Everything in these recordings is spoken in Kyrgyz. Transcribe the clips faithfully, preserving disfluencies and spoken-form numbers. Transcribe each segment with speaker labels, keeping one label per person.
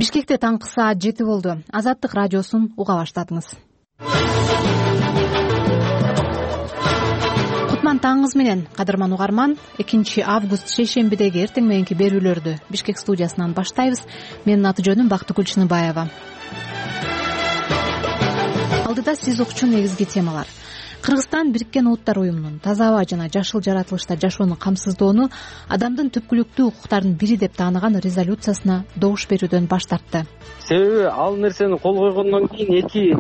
Speaker 1: Бишкекте таңкы саат жети болду. Азаттык радиосун уга баштадыңыз. Кутман таңыңыз менен, кадырман угарман. экинчи август шейшембидеги эртең мененки берүүлөрдү Бишкек студиясынан баштайбыз. Менин аты жөнүм Бактыгүл Чыныбаева. Алдыда сиз укчу негизги темалар. Кыргызстан Бириккен Улуттар уюмунун таза аба жана жашыл жаратылышта жашоону камсыздоону адамдын түпкүлүктүү укуктарынын бири деп тааныган резолюциясына добуш берүүдөн баш тартты.
Speaker 2: Себеби ал нерсени кол койгондон кийин эки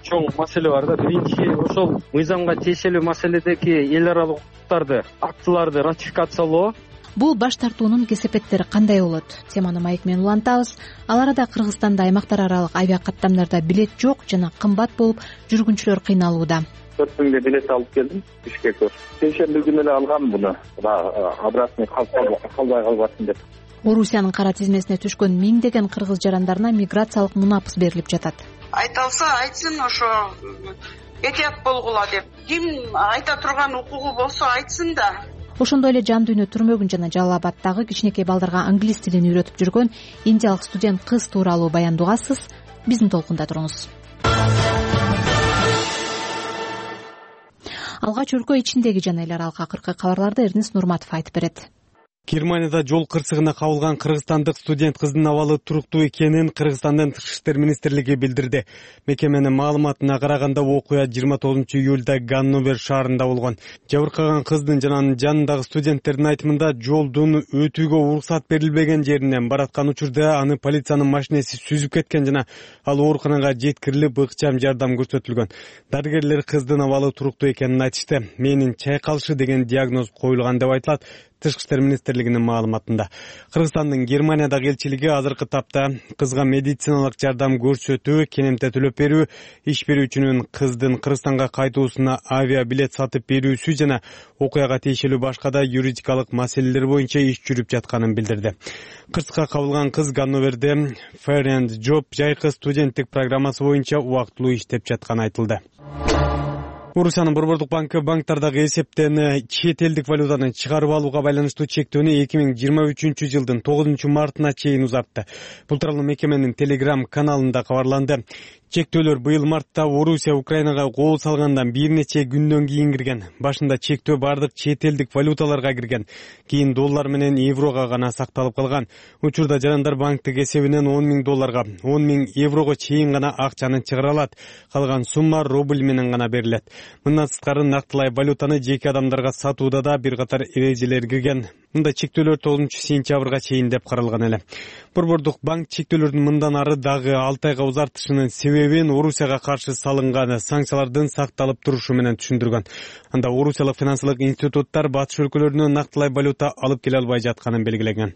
Speaker 2: чоң маселе бар да. Биринчи, ошол мыйзамга тиешелүү маселедеги эл аралык укуктарды, актыларды ратификациялоо.
Speaker 1: Бул баш тартуунун кесепеттери кандай болот? Теманы маек менен улантабыз. Ал арада Кыргызстанда аймактар аралык авиа каттамдарда билет жок жана кымбат болуп, жүргүнчүлөр кыйналууда.
Speaker 3: төрт миңге билет алып келдим Бишкекке. Шейшемби күнү эле алгам буну. Обратный калбай калбасын деп.
Speaker 1: Орусиянын кара тизмесине түшкөн миңдеген кыргыз жарандарына миграциялык мунапыс берилип жатат.
Speaker 4: Айталса айтсын, ошо этият болгула деп. Ким айта турган укугу болсо айтсын да.
Speaker 1: Ошондой эле жан дүйнө түрмөгүн жана Жалал Абаддагы кичинекей балдарга англис тилин үйрөтүп жүргөн индиялык студент кыз тууралуу баянды угасыз. Биздин толкунда туруңуз. Алгач өлкө ичиндеги жана эл аралык акыркы кабарларды Эрнис Нурматов айтып берет.
Speaker 5: Германияда жол кырсыгына кабылган кыргызстандык студент кыздын абалы туруктуу экенин Кыргызстандын Тышкы иштер министрлиги билдирди. Мекеменин маалыматына караганда окуя жыйырма тогузунчу июлда Ганновер шаарында болгон. Жабыркаган кыздын жана анын жанындагы студенттердин айтымында жолдун өтүүгө уруксат берилбеген жеринен бараткан учурда аны полициянын машинеси сүзүп кеткен жана ал ооруканага жеткирилип ыкчам жардам көрсөтүлгөн. Дарыгерлер кыздын абалы туруктуу экенин айтышты. Менин чайкалышы деген диагноз коюлган деп айтылат Тышкы иштер министрлигинин маалыматында. Кыргызстандын Германиядагы элчилиги азыркы тапта кызга медициналык жардам көрсөтүү, кенемте төлөп берүү, иш берүүчүнүн кыздын Кыргызстанга кайтуусуна авиа билет сатып берүүсү жана окуяга тиешелүү башка да юридикалык маселелер боюнча иш жүрүп жатканын билдирди. Кырсыкка кабылган кыз Ганноверде Fair and Job жайкы студенттик программасы боюнча убактылуу иштеп жатканы айтылды. Орусиянын Борбордук банкы банктардагы эсептен чет элдик валютаны чыгарып алууга байланыштуу чектөөнү эки миң жыйырма үчүнчү жылдын тогузунчу мартына чейин узартты. Бул тууралуу мекеменин Telegram каналында кабарланды. Чектөөлөр быйыл мартта Орусия Украинага кол салгандан бир нече күндөн кийин кирген. Башында чектөө бардык чет элдик валюталарга кирген. Кийин доллар менен еврого гана сакталып калган. Учурда жарандар банктык эсебинен он миң долларга, он миң еврого чейин гана акчаны чыгара алат. Калган сумма рубль менен гана берилет. Мындан сырткары нактылай валютаны жеке адамдарга сатууда да бир катар эрежелер кирген. Мында чектөөлөр тогузунчу сентябрга чейин деп каралган эле. Борбордук банк чектөөлөрдүн мындан ары дагы алты айга узартышынын себебин Орусияга каршы салынган санкциялардын сакталып турушу менен түшүндүргөн. Анда Орусиялык финансылык институттар батыш өлкөлөрүнөн нактылай валюта алып келе албай жатканын белгилеген.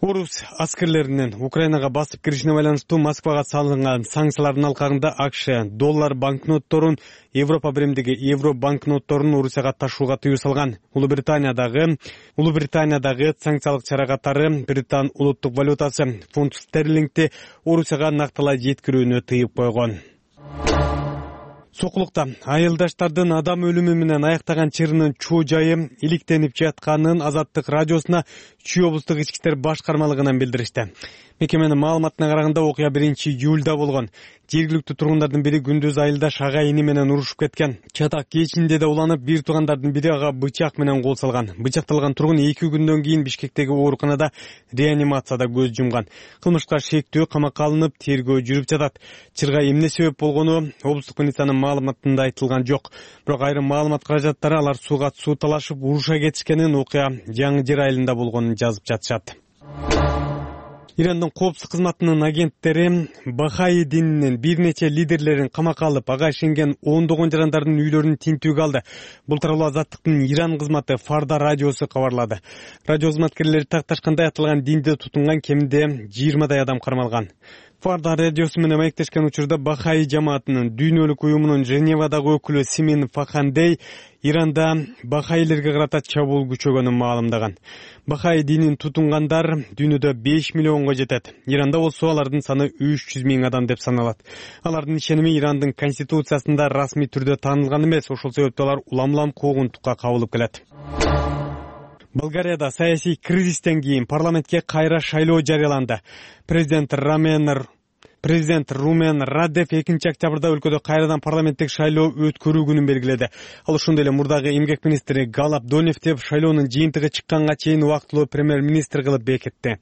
Speaker 5: Орус аскерлеринин Украинага басып киришине байланыштуу Москвага салынган санкциялардын алкагында АКШ доллар банкнотторун, Европа биримдиги евро банкнотторун Орусияга ташууга тыюу салган. Улуу Британиядагы Улуу Британиядагы санкциялык чара катары Британ улуттук валютасы фунт стерлингти Орусияга нактылай жеткирүүнү тыйып койгон. Сокулукта айылдаштардын адам өлүмү менен аяктаган чырынын чоо жайы иликтенип жатканын Азаттык радиосуна Чүй облустук ички иштер башкармалыгынан билдиришти. Мекеменин маалыматына караганда окуя биринчи июлда болгон. Жергиликтүү тургундардын бири күндүз айылдаш ага ини менен урушуп кеткен. Чатак кечинде да уланып, бир туугандардын бири ага бычак менен кол салган. Бычакталган тургун эки күндөн кийин Бишкектеги ооруканада реанимацияда көз жумган. Кылмышка шектүү камакка алынып, тергөө жүрүп жатат. Чырга эмне себеп болгону облустук милициянын маалыматында айтылган жок. Бирок айрым маалымат каражаттары алар сууга суу талашып уруша кетишкенин, окуя Жаңы Жер айылында болгонун жазып жатышат. Ирандын коопсуздук кызматынын агенттери Бахаи дининин бир нече лидерлерин камакка алып, ага ишенген ондогон жарандардын үйлөрүн тинтүүгө алды. Бул тууралуу Азаттыктын Иран кызматы Фарда радиосу кабарлады. Радио кызматкерлери такташкандай аталган динди тутунган кеминде жыйырмадай адам кармалган. Фарда радиосу менен маектешкен учурда Бахаи жамаатынын дүйнөлүк уюмунун Женевадагы өкүлү Симин Фахандей Иранда бахаилерге карата чабуул күчөгөнүн маалымдаган. Бахаи динин тутунгандар дүйнөдө беш миллионго жетет. Иранда болсо алардын саны үч жүз миң адам деп саналат. Алардын ишеними Ирандын конституциясында расмий түрдө таанылган эмес, ошол себептен алар улам-улам куугунтукка кабылып келет. Болгарияда саясий кризистен кийин парламентке кайра шайлоо жарыяланды. Президент Рамен Президент Румен Радев экинчи октябрда өлкөдө кайрадан парламенттик шайлоо өткөрүү күнүн белгиледи. Ал ошондой эле мурдагы эмгек министри Галап Донев шайлоонун жыйынтыгы чыкканга чейин убактылуу премьер-министр кылып бекитти.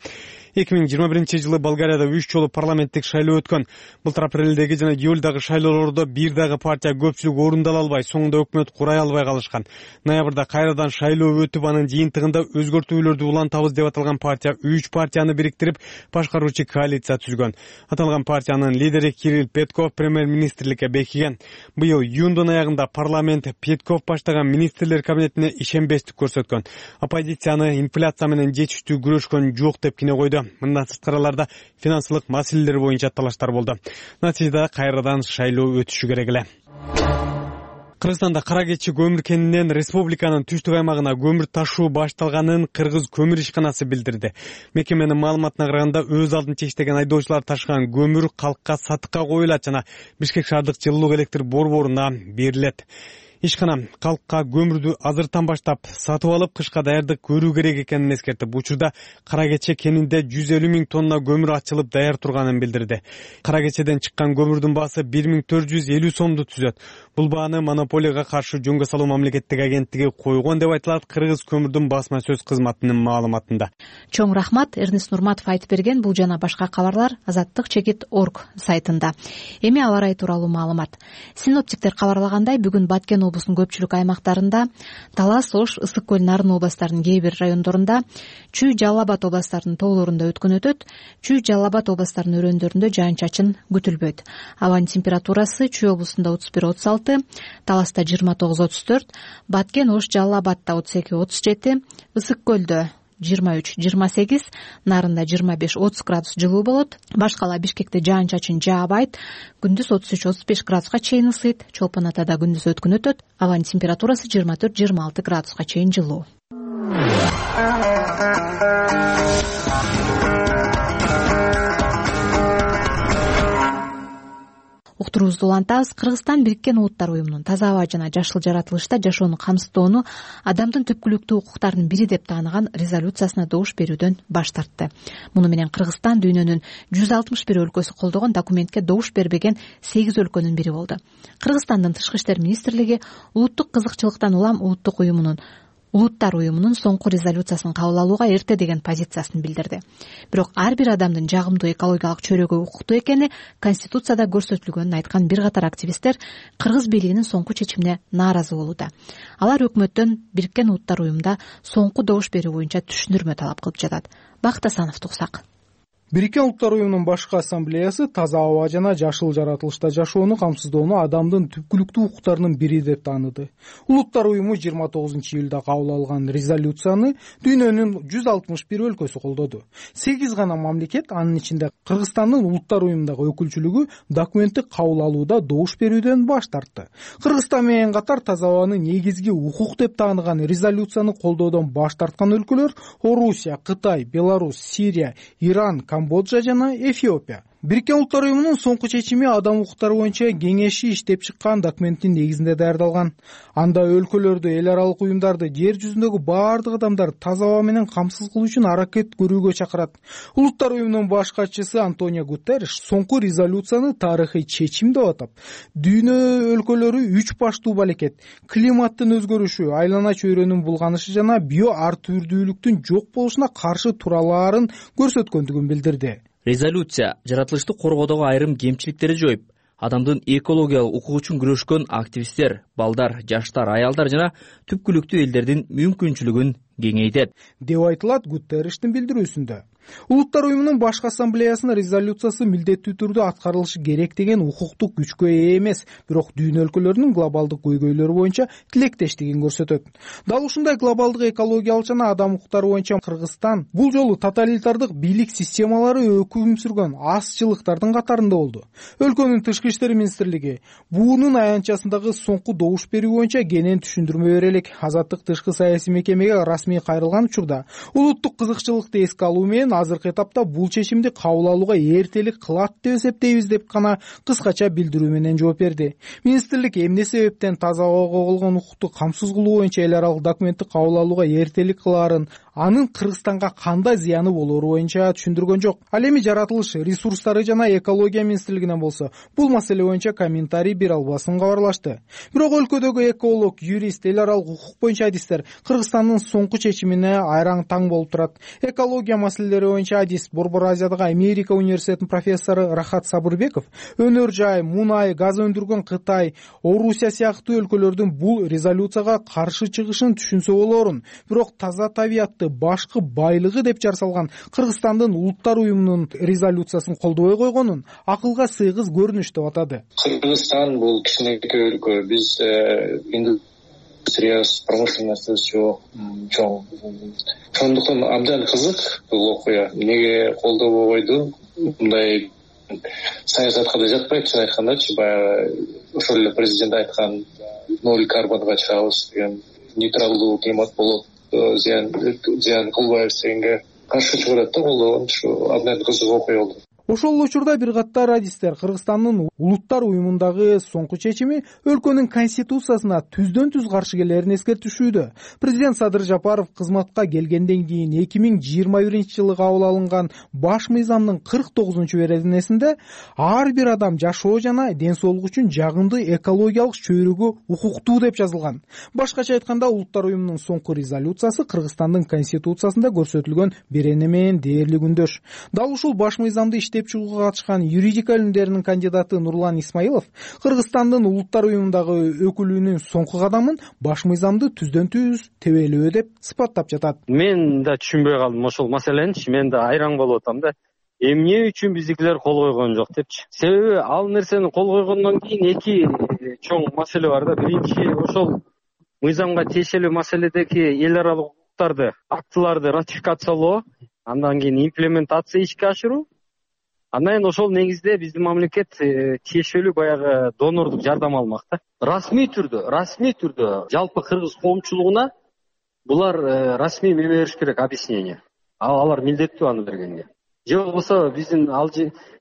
Speaker 5: эки миң жыйырма биринчи жылы Болгарияда үч жолу парламенттик шайлоо өткөн. Былтыр апрелдеги жана июлдагы шайлоолордо бир дагы партия көпчүлүк орундала албай, соңунда өкмөт курай албай калышкан. Ноябрда кайрадан шайлоо өтүп, анын жыйынтыгында өзгөртүүлөрдү улантабыз деп аталган партия үч партияны бириктирип, башкаруучу коалиция түзгөн. Аталган партиянын лидери Кирилл Петков премьер-министрликке бекиген. Быйыл июндун аягында парламент Петков баштаган министрлер кабинетине ишенбестик көрсөткөн. Оппозицияны инфляция менен жетиштүү күрөшкөн жок деп кине койду. Мындан сырткарыларда финансылык маселелер боюнча талаштар болду. Натыйжада кайрадан шайлоо өтүшү керек эле. Кыргызстанда кара кечи көмүр кенинен республиканын түштүк аймагына көмүр ташуу башталганын Кыргыз көмүр ишканасы билдирди. Мекеменин маалыматына караганда, өз алдын чечтеген айдоочулар ташыган көмүр калкка сатыкка коюлат жана Бишкек шаардык жылуулук электр борборуна берилет. Ишкана калкка көмүрдү азыртан баштап сатып алып, кышка даярдык көрүү керек экенин эскертип, учурда кара кече кенинде жүз элүү миң тонна көмүр ачылып даяр турганын билдирди. Кара кечеден чыккан көмүрдүн баасы бир миң төрт жүз элүү сомду түзөт. Бул бааны монополияга каршы жөнгө салуу мамлекеттик агенттиги койгон деп айтылат Кыргыз көмүрдүн басма сөз кызматынын маалыматында.
Speaker 1: Чоң рахмат, Эрнест Нурматов айтып берген. Бул жана башка кабарлар азаттык чекит точка орг сайтында. Эми аба ырайы тууралуу маалымат. Синоптиктер кабарлагандай, бүгүн Баткен облусунун көпчүлүк аймактарында, Талас, Ош, Ысык көл, Нарын областарынын кээ бир райондорунда, Чүй, Жалал Абад областарынын тоолорунда өткөн өтөт. Чүй, Жалал Абад областарынын өрөөндөрүндө жаан-чачын күтүлбөйт. Абанын температурасы Чүй облусунда отуз бир отуз алты, Таласта жыйырма тогуз отуз төрт, Баткен, Ош, Жалал Абадта отуз эки отуз жети, Ысык көлдө жыйырма үч жыйырма сегиз, Нарында жыйырма беш отуз градус жылуу болот. Башкала Бишкекте жаан-чачын жаабайт. Күндүз отуз үч отуз беш градуска чейин ысыйт. Чолпон Атада күндүз өткөн өтөт. Абанын температурасы жыйырма төрт жыйырма алты градуска чейин жылуу. Уктуруубузду улантабыз. Кыргызстан Бириккен Улуттар уюмунун таза аба жана жашыл жаратылышта жашоону камсыздоону адамдын түпкүлүктүү укуктарынын бири деп тааныган резолюциясына добуш берүүдөн баш тартты. Муну менен Кыргызстан дүйнөнүн жүз алтымыш бир өлкөсү колдогон документке добуш бербеген сегиз өлкөнүн бири болду. Кыргызстандын Тышкы иштер министрлиги улуттук кызыкчылыктан улам улуттук уюмунун Улуттар уюмунун соңку резолюциясын кабыл алууга эрте деген позициясын билдирди. Бирок ар бир адамдын жагымдуу экологиялык чөйрөгө укуктуу экени Конституцияда көрсөтүлгөнүн айткан бир катар активисттер кыргыз бийлигинин соңку чечимине нааразы болууда. Алар өкмөттөн Бириккен Улуттар уюмунда соңку добуш берүү боюнча түшүндүрмө талап кылып жатат. Бакыт Асановду угсак.
Speaker 6: Бириккен Улуттар уюмунун башкы ассамблеясы таза аба жана жашыл жаратылышта жашоону камсыздоону адамдын түпкүлүктүү укуктарынын бири деп тааныды. Улуттар уюму жыйырма тогузунчу июлда кабыл алган резолюцияны дүйнөнүн жүз алтымыш бир өлкөсү колдоду. сегиз гана мамлекет, анын ичинде Кыргызстандын Улуттар уюмундагы өкүлчүлүгү документти кабыл алууда добуш берүүдөн баш тартты. Кыргызстан менен катар таза абаны негизги укук деп тааныган резолюцияны колдоодон баш тарткан өлкөлөр Орусия, Кытай, Беларусь, Сирия, Иран, Камбоджа жана Эфиопия. Бириккен Улуттар уюмунун соңку чечими адам укуктары боюнча кеңеши иштеп чыккан документтин негизинде даярдалган. Анда өлкөлөрдү, эл аралык уюмдарды, жер жүзүндөгү баардык адамдар таза аба менен камсыз кылуу үчүн аракет көрүүгө чакырат. Улуттар уюмунун баш катчысы Антонио Гутерриш соңку резолюцияны тарыхый чечим деп атап, дүйнө өлкөлөрү үч баштуу балекет, климаттын өзгөрүшү, айлана чөйрөнүн булганышы жана био ар түрдүүлүктүн жок болушуна каршы туралаарын көрсөткөндүгүн билдирди.
Speaker 7: Резолюция жаратылышты коргоодогу айрым кемчиликтерди жоюп, адамдын экологиялык укугу үчүн күрөшкөн активисттер, балдар, жаштар, аялдар жана түпкүлүктүү элдердин мүмкүнчүлүгүн кеңейтет
Speaker 6: деп айтылат Гутерриштин билдирүүсүндө. Улуттар уюмунун башкы ассамблеясынын резолюциясы милдеттүү түрдө аткарылышы керек деген укуктук күчкө ээ эмес, бирок дүйнө өлкөлөрүнүн глобалдык көйгөйлөрү боюнча тилектештигин көрсөтөт. Дал ушундай глобалдык экологиялык жана адам укуктары боюнча Кыргызстан бул жолу тоталитардык бийлик системалары өкүм сүргөн азчылыктардын катарында болду. Өлкөнүн Тышкы иштер министрлиги буунун аянтчасындагы соңку добуш берүү боюнча кенен түшүндүрмө берелик. Азаттык тышкы саясий мекемеге расмий кайрылган учурда улуттук кызыкчылыкты эске алуу менен менен азыркы этапта бул чечимди кабыл алууга эртелик кылат деп эсептейбиз деп гана кыскача билдирүү менен жооп берди. Министрлик эмне себептен таза абага болгон укукту камсыз кылуу боюнча эл аралык документти кабыл алууга эртелик кылаарын, анын Кыргызстанга кандай зыяны болоору боюнча түшүндүргөн жок. Ал эми жаратылыш ресурстары жана экология министрлигинен болсо бул маселе боюнча комментарий бере албасын кабарлашты. Бирок өлкөдөгү эколог, юрист, эл аралык укук боюнча адистер Кыргызстандын соңку чечимине айраң таң болуп турат. Экология маселелери боюнча адист, Борбор Азиядагы Америка университетинин профессору Рахат Сабырбеков өнөр жай, мунай, газ өндүргөн Кытай, Орусия сыяктуу өлкөлөрдүн бул резолюцияга каршы чыгышын түшүнсө болоорун, бирок таза табиятты башкы байлыгы деп жар салган Кыргызстандын улуттар уюмунун резолюциясын колдобой койгонун акылга сыйгыз көрүнүш деп атады.
Speaker 8: Кыргызстан бул кичинекей өлкө, биз индустриясы, промышленности жок, чоң. Ошондуктан абдан кызык бул окуя. Эмнеге колдобой койду? Мындай саясатка да жатпайт, чын айткандачы, баягы ошол эле президент айткан ноль карбонго чыгабыз деген, нейтралдуу климат болот, зыян зыян кылбайбыз дегенге каршы чыгарат да, колдогон. Ушу абдан кызык окуя болду.
Speaker 6: Ошол учурда бир катар адистер Кыргызстандын улуттар уюмундагы соңку чечими өлкөнүн конституциясына түздөн түз каршы келерин эскертишүүдө. Президент Садыр Жапаров кызматка келгенден кийин эки миң жыйырма биринчи жылы кабыл алынган баш мыйзамдын кырк тогузунчу беренесинде ар бир адам жашоо жана ден соолук үчүн жагымдуу экологиялык чөйрөгө укуктуу деп жазылган. Башкача айтканда, улуттар уюмунун соңку резолюциясы Кыргызстандын конституциясында көрсөтүлгөн берене менен дээрлик үндөш. Дал ушул баш мыйзамды иштеп чыгууга катышкан юридика илимдеринин кандидаты Нурлан Исмаилов Кыргызстандын улуттар уюмундагы өкүлүүнүн соңку кадамын баш мыйзамды түздөн түз тебелөө деп сыпаттап жатат.
Speaker 2: Мен да түшүнбөй калдым ошол маселени. Мен да айраң болуп атам да. Эмне үчүн биздикилер кол койгон жок депчи. Себеби ал нерсени кол койгондон кийин эки чоң маселе бар да. Биринчи, ошол мыйзамга тиешелүү маселедеги эл аралык укуктарды, актыларды ратификациялоо, андан кийин имплементация ишке ашыруу. Андан кийин ошол негизде биздин мамлекет тиешелүү баягы донордук жардам алмак да. Расмий түрдө, расмий түрдө жалпы кыргыз коомчулугуна булар расмий эме бериш керек, объяснение. Алар милдеттүү аны бергенге. Же болбосо биздин ал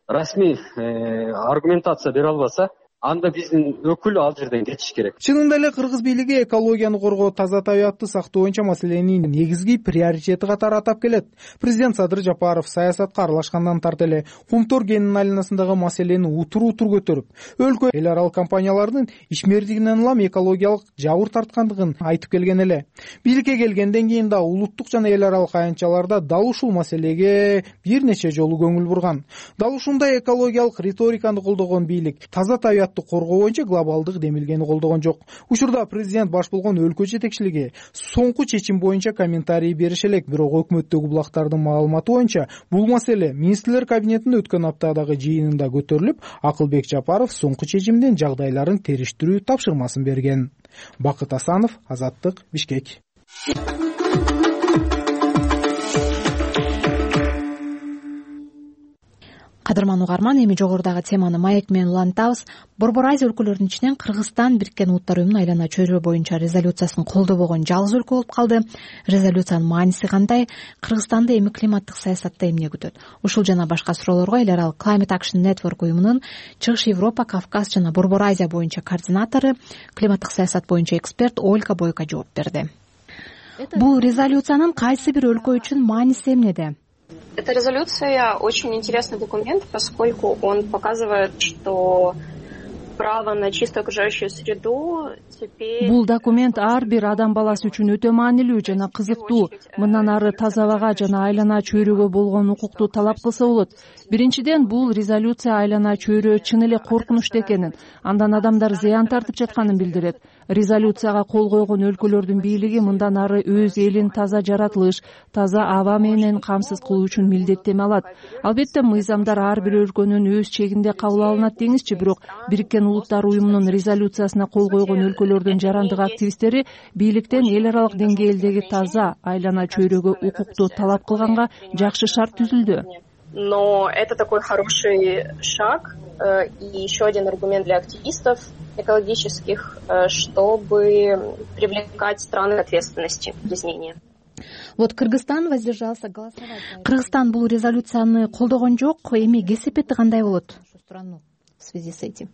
Speaker 2: расмий аргументация бере албаса, анда биздин өкүл ал жерден кетиш керек.
Speaker 6: Чынында эле кыргыз бийлиги экологияны коргоо, таза табиятты сактоо боюнча маселени негизги приоритети катары атап келет. Президент Садыр Жапаров саясатка аралашкандан тарта эле Кумтор кенинин айланасындагы маселени утур-утур көтөрүп, өлкө эл аралык компаниялардын ишмердигинен улам экологиялык жабыр тарткандыгын айтып келген эле. Бийликке келгенден кийин да улуттук жана эл аралык аянтчаларда дал ушул маселеге бир нече жолу көңүл бурган. Дал ушундай экологиялык риториканы колдогон бийлик таза табият коргоо боюнча глобалдык демилгени колдогон жок. Учурда президент баш болгон өлкө жетекчилиги соңку чечим боюнча комментарий берише элек, бирок өкмөттөгү булактардын маалыматы боюнча бул маселе министрлер кабинетинин өткөн аптадагы жыйынында көтөрүлүп, Акылбек Жапаров соңку чечимдин жагдайларын териштирүү тапшырмасын берген. Бакыт Асанов, Азаттык, Бишкек.
Speaker 1: Кадырман угарман, эми жогорудагы теманы маек менен улантабыз. Борбор Азия өлкөлөрүнүн ичинен Кыргызстан Бириккен Улуттар уюмунун айлана чөйрө боюнча резолюциясын колдобогон жалгыз өлкө болуп калды. Резолюциянын мааниси кандай? Кыргызстанды эми климаттык саясатта эмне күтөт? Ушул жана башка суроолорго эл аралык Climate Action Network уюмунун Чыгыш Европа, Кавказ жана Борбор Азия боюнча координатору, климаттык саясат боюнча эксперт Ольга Бойко жооп берди. Бул резолюциянын кайсы бир өлкө үчүн мааниси эмнеде?
Speaker 9: Эта резолюция очень интересный документ, поскольку он показывает, что право на чисто окружающую среду теперь...
Speaker 10: Бул документ ар бир адам баласы үчүн өтө маанилүү жана кызыктуу. Мындан ары таза абага жана айлана чөйрөгө болгон укукту талап кылса болот. Биринчиден, бул резолюция айлана чөйрө чын эле коркунучтуу экенин, андан адамдар зыян тартып жатканын билдирет. Резолюцияга кол койгон өлкөлөрдүн бийлиги мындан ары өз элин таза жаратылыш, таза аба менен камсыз кылуу үчүн милдеттеме алат. Албетте, мыйзамдар ар бир өлкөнүн өз чегинде кабыл алынат деңизчи, бирок Бириккен Улуттар уюмунун резолюциясына кол койгон өлкөлөрдүн жарандык активисттери бийликтен эл аралык деңгээлдеги таза айлана чөйрөгө укукту талап кылганга жакшы шарт түзүлдү.
Speaker 9: Но это такой хороший шаг и еще один аргумент для активистов экологических, чтобы привлекать страны к ответственности в изменении.
Speaker 1: Вот Кыргызстан воздержался голосовать. Кыргызстан бул резолюцияны колдогон жок. Эми кесепети кандай болот страну в связи с этим?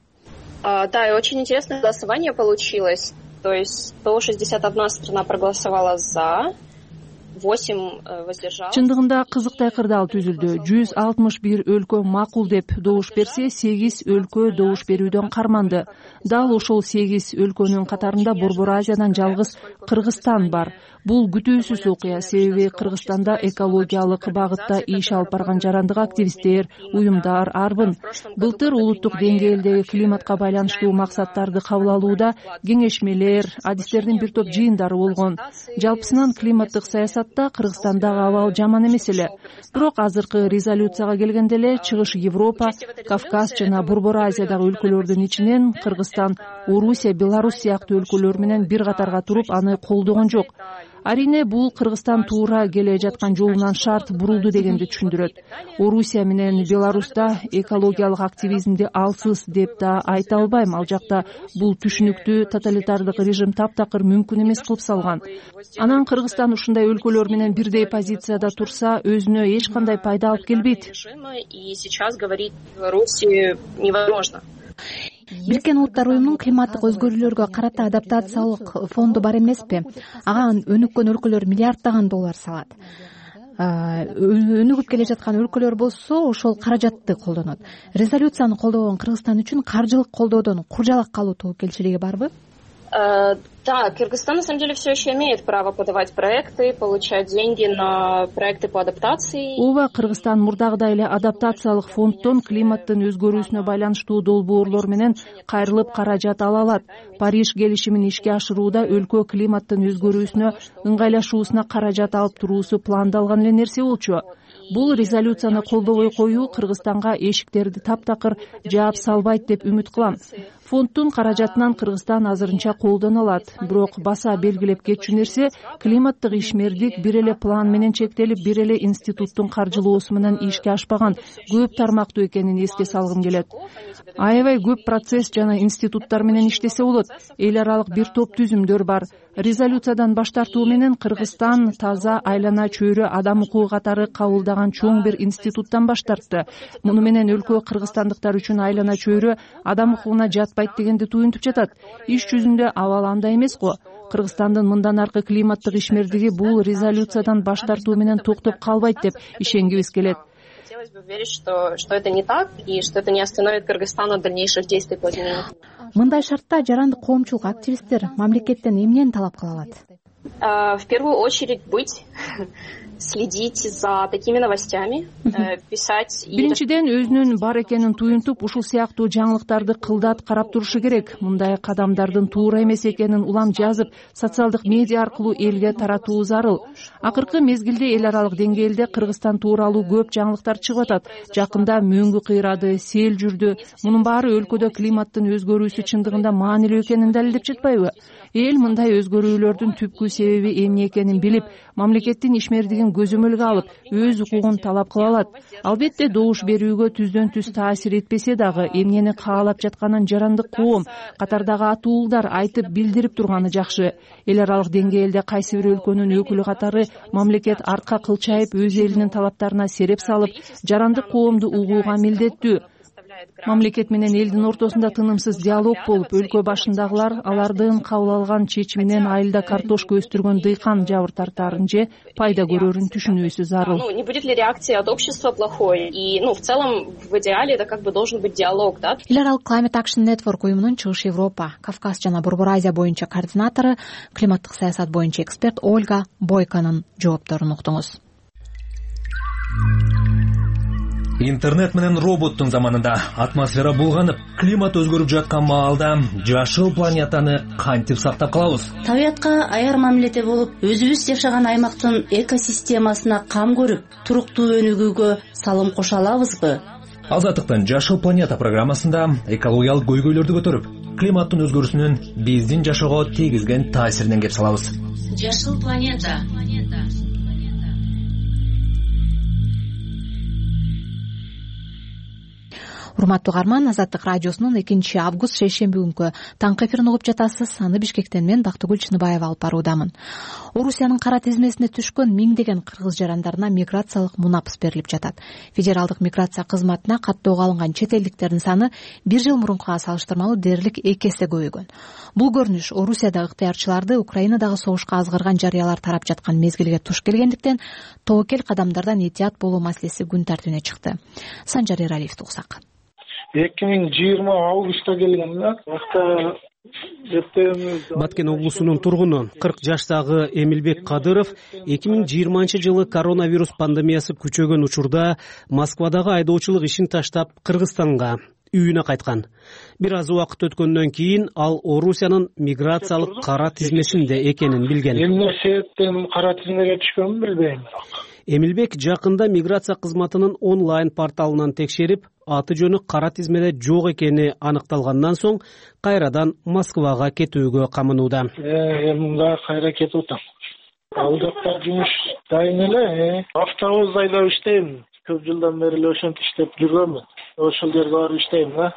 Speaker 9: А, да, и очень интересное голосование получилось. То есть сто шестьдесят одна страна проголосовала за, восемь воздержалось.
Speaker 10: Чындыгында кызыктай кырдаал түзүлдү. жүз алтымыш бир өлкө макул деп добуш берсе, сегиз өлкө добуш берүүдөн карманды. Дал ошол сегиз өлкөнүн катарында Борбор Азиядан жалгыз Кыргызстан бар. Бул күтүүсүз окуя, себеби Кыргызстанда экологиялык багытта иш алып барган жарандык активисттер, уюмдар арбын. Былтыр улуттук деңгээлдеги климатка байланыштуу максаттарды кабыл алууда кеңешмелер, адистердин бир топ жыйындары болгон. Жалпысынан климаттык саясатта Кыргызстандагы абал жаман эмес эле. Бирок азыркы резолюцияга келгенде эле Чыгыш Европа, Кавказ жана Борбор Азиядагы өлкөлөрдүн ичинен Кыргызстан, Орусия, Беларусь сыяктуу өлкөлөр менен бир катарга туруп аны колдогон жок. Арине бул Кыргызстан туура келе жаткан жолунан шарт бурулду дегенди түшүндүрөт. Орусия менен Беларусьта экологиялык активизмди алсыз деп да айта албайм. Ал жакта бул түшүнүктүү тоталитардык режим таптакыр мүмкүн эмес кылып салган. Анан Кыргызстан ушундай өлкөлөр менен бирдей позицияда турса, өзүнө эч кандай пайда алып келбейт.
Speaker 9: И сейчас говорить Беларуси невозможно.
Speaker 1: Бириккен Улуттар уюмунун климаттык өзгөрүүлөргө карата адаптациялык фонду бар эмеспи? Ага өнүккөн өлкөлөр миллиарддаган доллар салат. Өнүгүп келе жаткан өлкөлөр болсо ошол каражатты колдонот. Резолюцияны колдогон Кыргызстан үчүн каржылык колдоодон куржалак калуу тобокелчилиги барбы?
Speaker 9: Да, Кыргызстан на самом деле все еще имеет право подавать проекты, получать деньги на проекты по адаптации.
Speaker 10: Ооба, Кыргызстан мурдагыдай эле адаптациялык фонддон климаттын өзгөрүүсүнө байланыштуу долбоорлор менен кайрылып каражат ала алат. Париж келишимин ишке ашырууда өлкө климаттын өзгөрүүсүнө ыңгайлашуусуна каражат алып туруусу пландалган эле нерсе болчу. Бул резолюцияны колдобой коюу Кыргызстанга эшиктерди таптакыр жаап салбайт деп үмүт кылам. Фонддун каражатынан Кыргызстан азырынча колдоно алат. Бирок баса белгилеп кетчү нерсе, климаттык ишмердик бир эле план менен чектелип, бир эле институттун каржылоосу менен ишке ашпаган, көп тармактуу экенин эске салгым келет. Аябай көп процесс жана институттар менен иштесе болот. Эл аралык бир топ түзүмдөр бар. Резолюциядан баш тартуу менен Кыргызстан таза айлана чөйрө адам укугу катары кабылдаган чоң бир институттан баш тартты. Муну менен өлкө кыргызстандыктар үчүн айлана чөйрө адам укугуна жатпайт дегенди туюнтуп жатат. Иш жүзүндө абал андай эмес го. Кыргызстандын мындан аркы климаттык ишмердиги бул резолюциядан баш тартуу менен токтоп калбайт деп ишенгибиз келет.
Speaker 9: Хотелось бы верить, что, что это не так, и что это не остановит Кыргызстан от дальнейших действий по изменению.
Speaker 1: Мындай шартта жарандык коомчулук активисттер мамлекеттен эмнени талап кыла алат?
Speaker 9: В первую очередь быть, следить за такими новостями, писать.
Speaker 10: Биринчиден өзүнүн бар экенин туюнтуп, ушул сыяктуу жаңылыктарды кылдат карап турушу керек. Мындай кадамдардын туура эмес экенин улам жазып, социалдык медиа аркылуу элге таратуу зарыл. Акыркы мезгилде эл аралык деңгээлде Кыргызстан тууралуу көп жаңылыктар чыгып атат. Жакында мөңгү кыйрады, сел жүрдү. Мунун баары өлкөдө климаттын өзгөрүүсү чындыгында маанилүү экенин далилдеп жатпайбы? Эл мындай өзгөрүүлөрдүн түпкү себеби эмне экенин билип, мамлекеттин ишмердигин көзөмөлгө алып, өз укугун талап кыла алат. Албетте добуш берүүгө түздөн түз таасир этпесе дагы, эмнени каалап жатканын жарандык коом, катардагы атуулдар айтып билдирип турганы жакшы. Эл аралык деңгээлде кайсы бир өлкөнүн өкүлү катары мамлекет арка кылчайып, өз элинин талаптарына сереп салып, жарандык коомду угууга милдеттүү. Мамлекет менен элдин ортосунда тынымсыз диалог болуп, өлкө башындагылар алардын кабыл алган чечиминен айылда картошка өстүргөн дыйкан жабыр тартаарын же пайда көрөрүн түшүнүүсү зарыл.
Speaker 9: Не будет ли реакция от общества плохой? И, ну, в целом, в идеале это как бы должен быть диалог, да?
Speaker 1: Эл аралык Climate Action Network уюмунун Чыгыш Европа, Кавказ жана Борбор Азия боюнча координатору, климаттык саясат боюнча эксперт Ольга Бойконун жоопторун уктуңуз.
Speaker 11: Интернет менен роботтун заманында атмосфера булганып, климат өзгөрүп жаткан маалда жашыл планетаны кантип сактап калабыз?
Speaker 12: Табиятка аяр мамиледе болуп, өзүбүз жашаган аймактын экосистемасына кам көрүп, туруктуу өнүгүүгө салым кошо алабызбы?
Speaker 11: Азаттыктын Жашыл планета программасында экологиялык көйгөйлөрдү көтөрүп, климаттын өзгөрүүсүнүн биздин жашоого тийгизген таасиринен кеп салабыз.
Speaker 12: Жашыл планета.
Speaker 1: урматтуу угарман, Азаттык радиосунун экинчи август шейшемби күнкү таңкы эфирин угуп жатасыз. Аны Бишкектен мен Бактыгүл Чыныбаева алып баруудамын. Орусиянын кара тизмесине түшкөн миңдеген кыргыз жарандарына миграциялык мунапыс берилип жатат. Федералдык миграция кызматына каттоого алынган чет элдиктердин саны бир жыл мурункуга салыштырмалуу дээрлик эки эсе көбөйгөн. Бул көрүнүш Орусияда ыктыярчыларды Украинадагы согушка азгырган жарыялар тарап жаткан мезгилге туш келгендиктен тобокел кадамдардан этият болуу маселеси күн тартибине чыкты. Санжар Эралиевди угсак.
Speaker 13: эки миң жыйырма августта келген да.
Speaker 14: Баткен облусунун тургуну кырк жаштагы Эмилбек Кадыров эки миң жыйырманчы жылы коронавирус пандемиясы күчөгөн учурда Москвадагы айдоочулук ишин таштап Кыргызстанга, үйүнө кайткан. Бир аз убакыт өткөндөн кийин ал Орусиянын миграциялык кара тизмесинде экенин билген.
Speaker 13: Эмне себептен кара тизмеге түшкөнүн билбейм.
Speaker 14: Эмилбек жакында миграция кызматынын онлайн порталынан текшерип, аты жөнү кара тизмеде жок экени аныкталгандан соң кайрадан Москвага кетүүгө камынууда.
Speaker 13: Эми мында кайра кетип атам. Ал жакта жумуш дайын эле, автобус айдап иштейм. Көп жылдан бери эле ошентип иштеп жүргөнмүн. Ошол жерге барып иштейм да.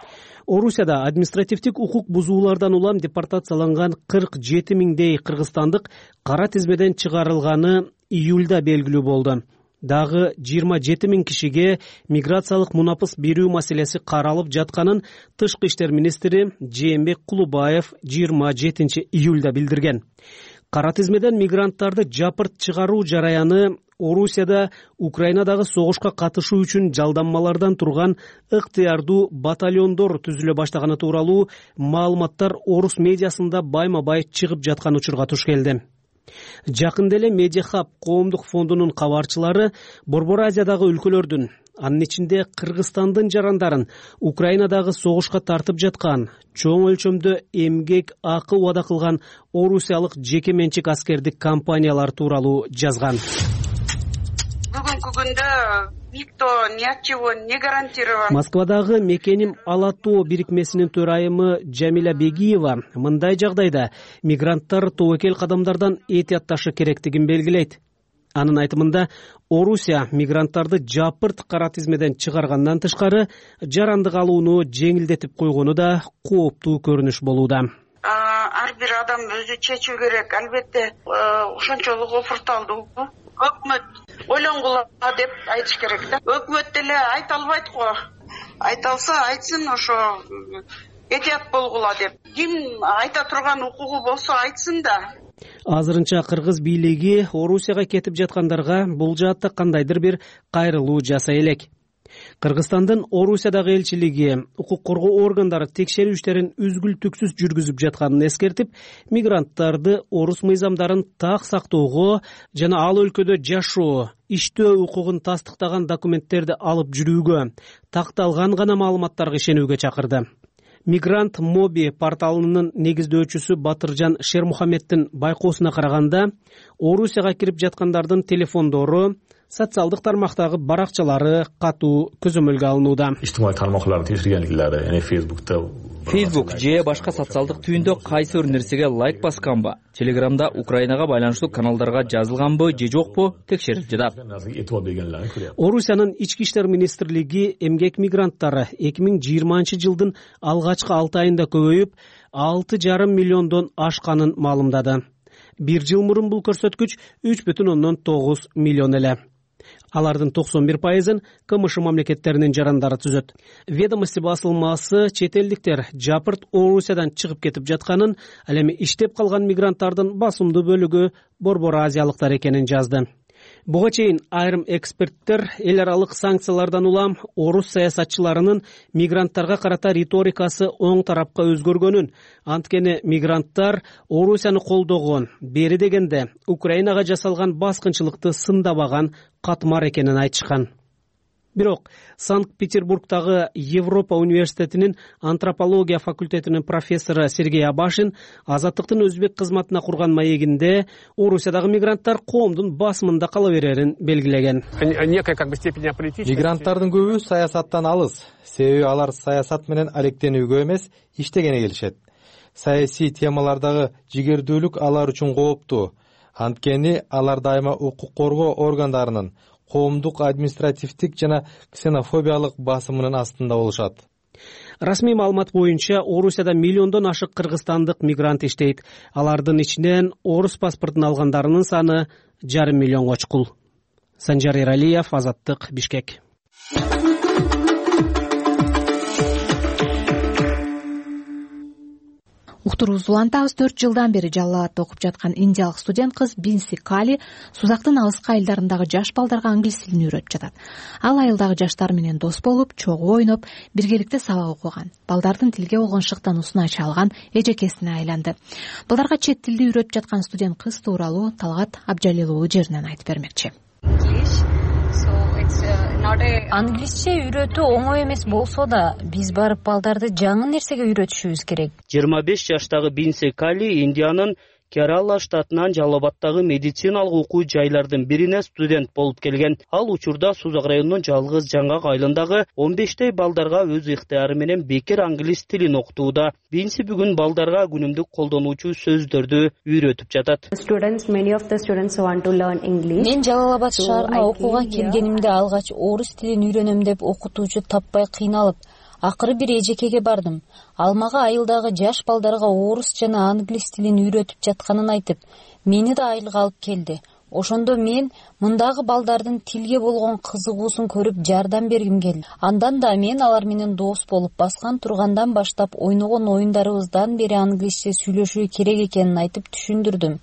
Speaker 14: Орусияда административдик укук бузуулардан улам депортацияланган кырк жети миңдей кыргызстандык кара тизмеден чыгарылганы июлда белгилүү болду. Дагы жыйырма жети миң кишиге миграциялык мунапыс берүү маселеси каралып жатканын Тышкы иштер министри Жээнбек Кулубаев жыйырма жетинчи июлда билдирген. Кара тизмеден мигранттарды жапырт чыгаруу жараяны Орусияда Украинадагы согушка катышуу үчүн жалданмалардан турган ыктыярдуу батальондор түзүлө баштаганы тууралуу маалыматтар орус медиасында байма-бай чыгып жаткан учурга туш келди. Жакында эле Медиахаб коомдук фондунун кабарчылары Борбор Азиядагы өлкөлөрдүн, анын ичинде Кыргызстандын жарандарын Украинадагы согушка тартып жаткан, чоң өлчөмдө эмгек акы убада кылган орусиялык жеке менчик аскердик компаниялар тууралуу жазган.
Speaker 4: Бүгүнкү күндө никто ни от чего не гарантирован.
Speaker 14: Москвадагы Мекеним Алатоо бирикмесинин төрайымы Жамиля Бегиева мындай жагдайда мигранттар тобокел кадамдардан этиятташы керектигин белгилейт. Анын айтымында Орусия мигранттарды жапырт кара тизмеден чыгаргандан тышкары жарандык алууну жеңилдетип койгону да кооптуу көрүнүш болууда.
Speaker 4: Ар бир адам өзү чечүү керек. Албетте ошончолук офурталдуу. Өкмөт ойлонгула деп айтыш керек да. Өкмөт деле айта албайт го. Айта алса айтсын, ошо этият болгула деп. Ким айта турган укугу болсо айтсын да.
Speaker 14: Азырынча кыргыз бийлиги Орусияга кетип жаткандарга бул жаатта кандайдыр бир кайрылуу жасай элек. Кыргызстандын Орусиядагы элчилиги укук коргоо органдары текшерүү иштерин үзгүлтүксүз жүргүзүп жатканын эскертип, мигранттарды орус мыйзамдарын так сактоого жана ал өлкөдө жашоо, иштөө укугун тастыктаган документтерди алып жүрүүгө, такталган гана маалыматтарга ишенүүгө чакырды. Мигрант Моби порталынын негиздөөчүсү Батыржан Шермухаммеддин байкоосуна караганда, Орусияга кирип жаткандардын телефондору, социалдык тармактагы баракчалары катуу көзөмөлгө алынууда.
Speaker 15: Ижтимаий тармактарды текшергенликлери, эне Facebook'та
Speaker 7: Facebook же башка социалдык түйүндө кайсы бир нерсеге лайк басканбы, Telegram'да Украинага байланыштуу каналдарга жазылганбы же жокпу текшерип жатат.
Speaker 14: Орусиянын ички иштер министрлиги эмгек мигранттары эки миң жыйырманчы жылдын алгачкы алты айында көбөйүп, алты жарым миллиондон ашканын маалымдады. Бир жыл мурун бул көрсөткүч үч бүтүн ондон тогуз миллион эле. Алардын токсон бир пайызын КМШ мамлекеттеринин жарандары түзөт. Ведомости басылмасы чет элдиктер жапырт Орусиядан чыгып кетип жатканын, ал эми иштеп калган мигранттардын басымдуу бөлүгү Борбор Азиялыктар экенин жазды. Буга чейин айрым эксперттер эл аралык санкциялардан улам орус саясатчыларынын мигранттарга карата риторикасы оң тарапка өзгөргөнүн, анткени мигранттар Орусияны колдогон, бери дегенде Украинага жасалган баскынчылыкты сындабаган катмар экенин айтышкан. Бирок Санкт-Петербургдагы Европа университетинин антропология факультетинин профессору Сергей Абашин Азаттыктын өзбек кызматына курган маегинде Орусиядагы мигранттар коомдун басымында кала берерин белгилеген.
Speaker 16: Мигранттардын көбү саясаттан алыс, себеби алар саясат менен алектенүүгө эмес, иштегени келишет. Саясий темалардагы жигердүүлүк алар үчүн кооптуу. Анткени алар дайыма укук коргоо органдарынын, коомдук, административдик жана ксенофобиялык басымынын астында болушат.
Speaker 14: Расмий маалымат боюнча Орусияда миллиондон ашык кыргызстандык мигрант иштейт. Алардын ичинен орус паспортун алгандарынын саны жарым миллионго чукул. Санжар Эралиев, Азаттык, Бишкек.
Speaker 1: Уктуруубузду улантабыз. төрт жылдан бери Жалал Абадта окуп жаткан индиялык студент кыз Бинси Кали Сузактын алыскы айылдарындагы жаш балдарга англис тилин үйрөтүп жатат. Ал айылдагы жаштар менен дос болуп, чогуу ойноп, биргеликте сабак окуган. Балдардын тилге болгон шыктануусун ача алган эжекесине айланды. Балдарга чет тилди үйрөтүп жаткан студент кыз тууралуу Талгат Абджалил уулу жеринен айтып бермекчи.
Speaker 17: Англисче үйрөтүү оңой эмес болсо да, биз барып балдарды жаңы нерсеге үйрөтүшүбүз керек.
Speaker 18: жыйырма беш жаштагы Бинси Кали Индиянын Керала штатынан Жалал Абадтагы медициналык окуу жайлардын бирине студент болуп келген. Ал учурда Сузак районунун жалгыз жаңгак айылындагы он бештей балдарга өз ыктыяры менен бекер англис тилин окутууда. Бинси бүгүн балдарга күнүмдүк колдонуучу сөздөрдү үйрөтүп жатат.
Speaker 17: Мен Жалал Абад шаарына окууга келгенимде алгач орус тилин үйрөнөм деп окутуучу таппай кыйналып, акыры бир эжекеге бардым. Ал мага айылдагы жаш балдарга орус жана англис тилин үйрөтүп жатканын айтып, мени да айылга алып келди. Ошондо мен мындагы балдардын тилге болгон кызыгуусун көрүп жардам бергим келди. Андан да мен алар менен дос болуп, баскан тургандан баштап ойногон оюндарыбыздан бери англисче сүйлөшүү керек экенин айтып түшүндүрдүм.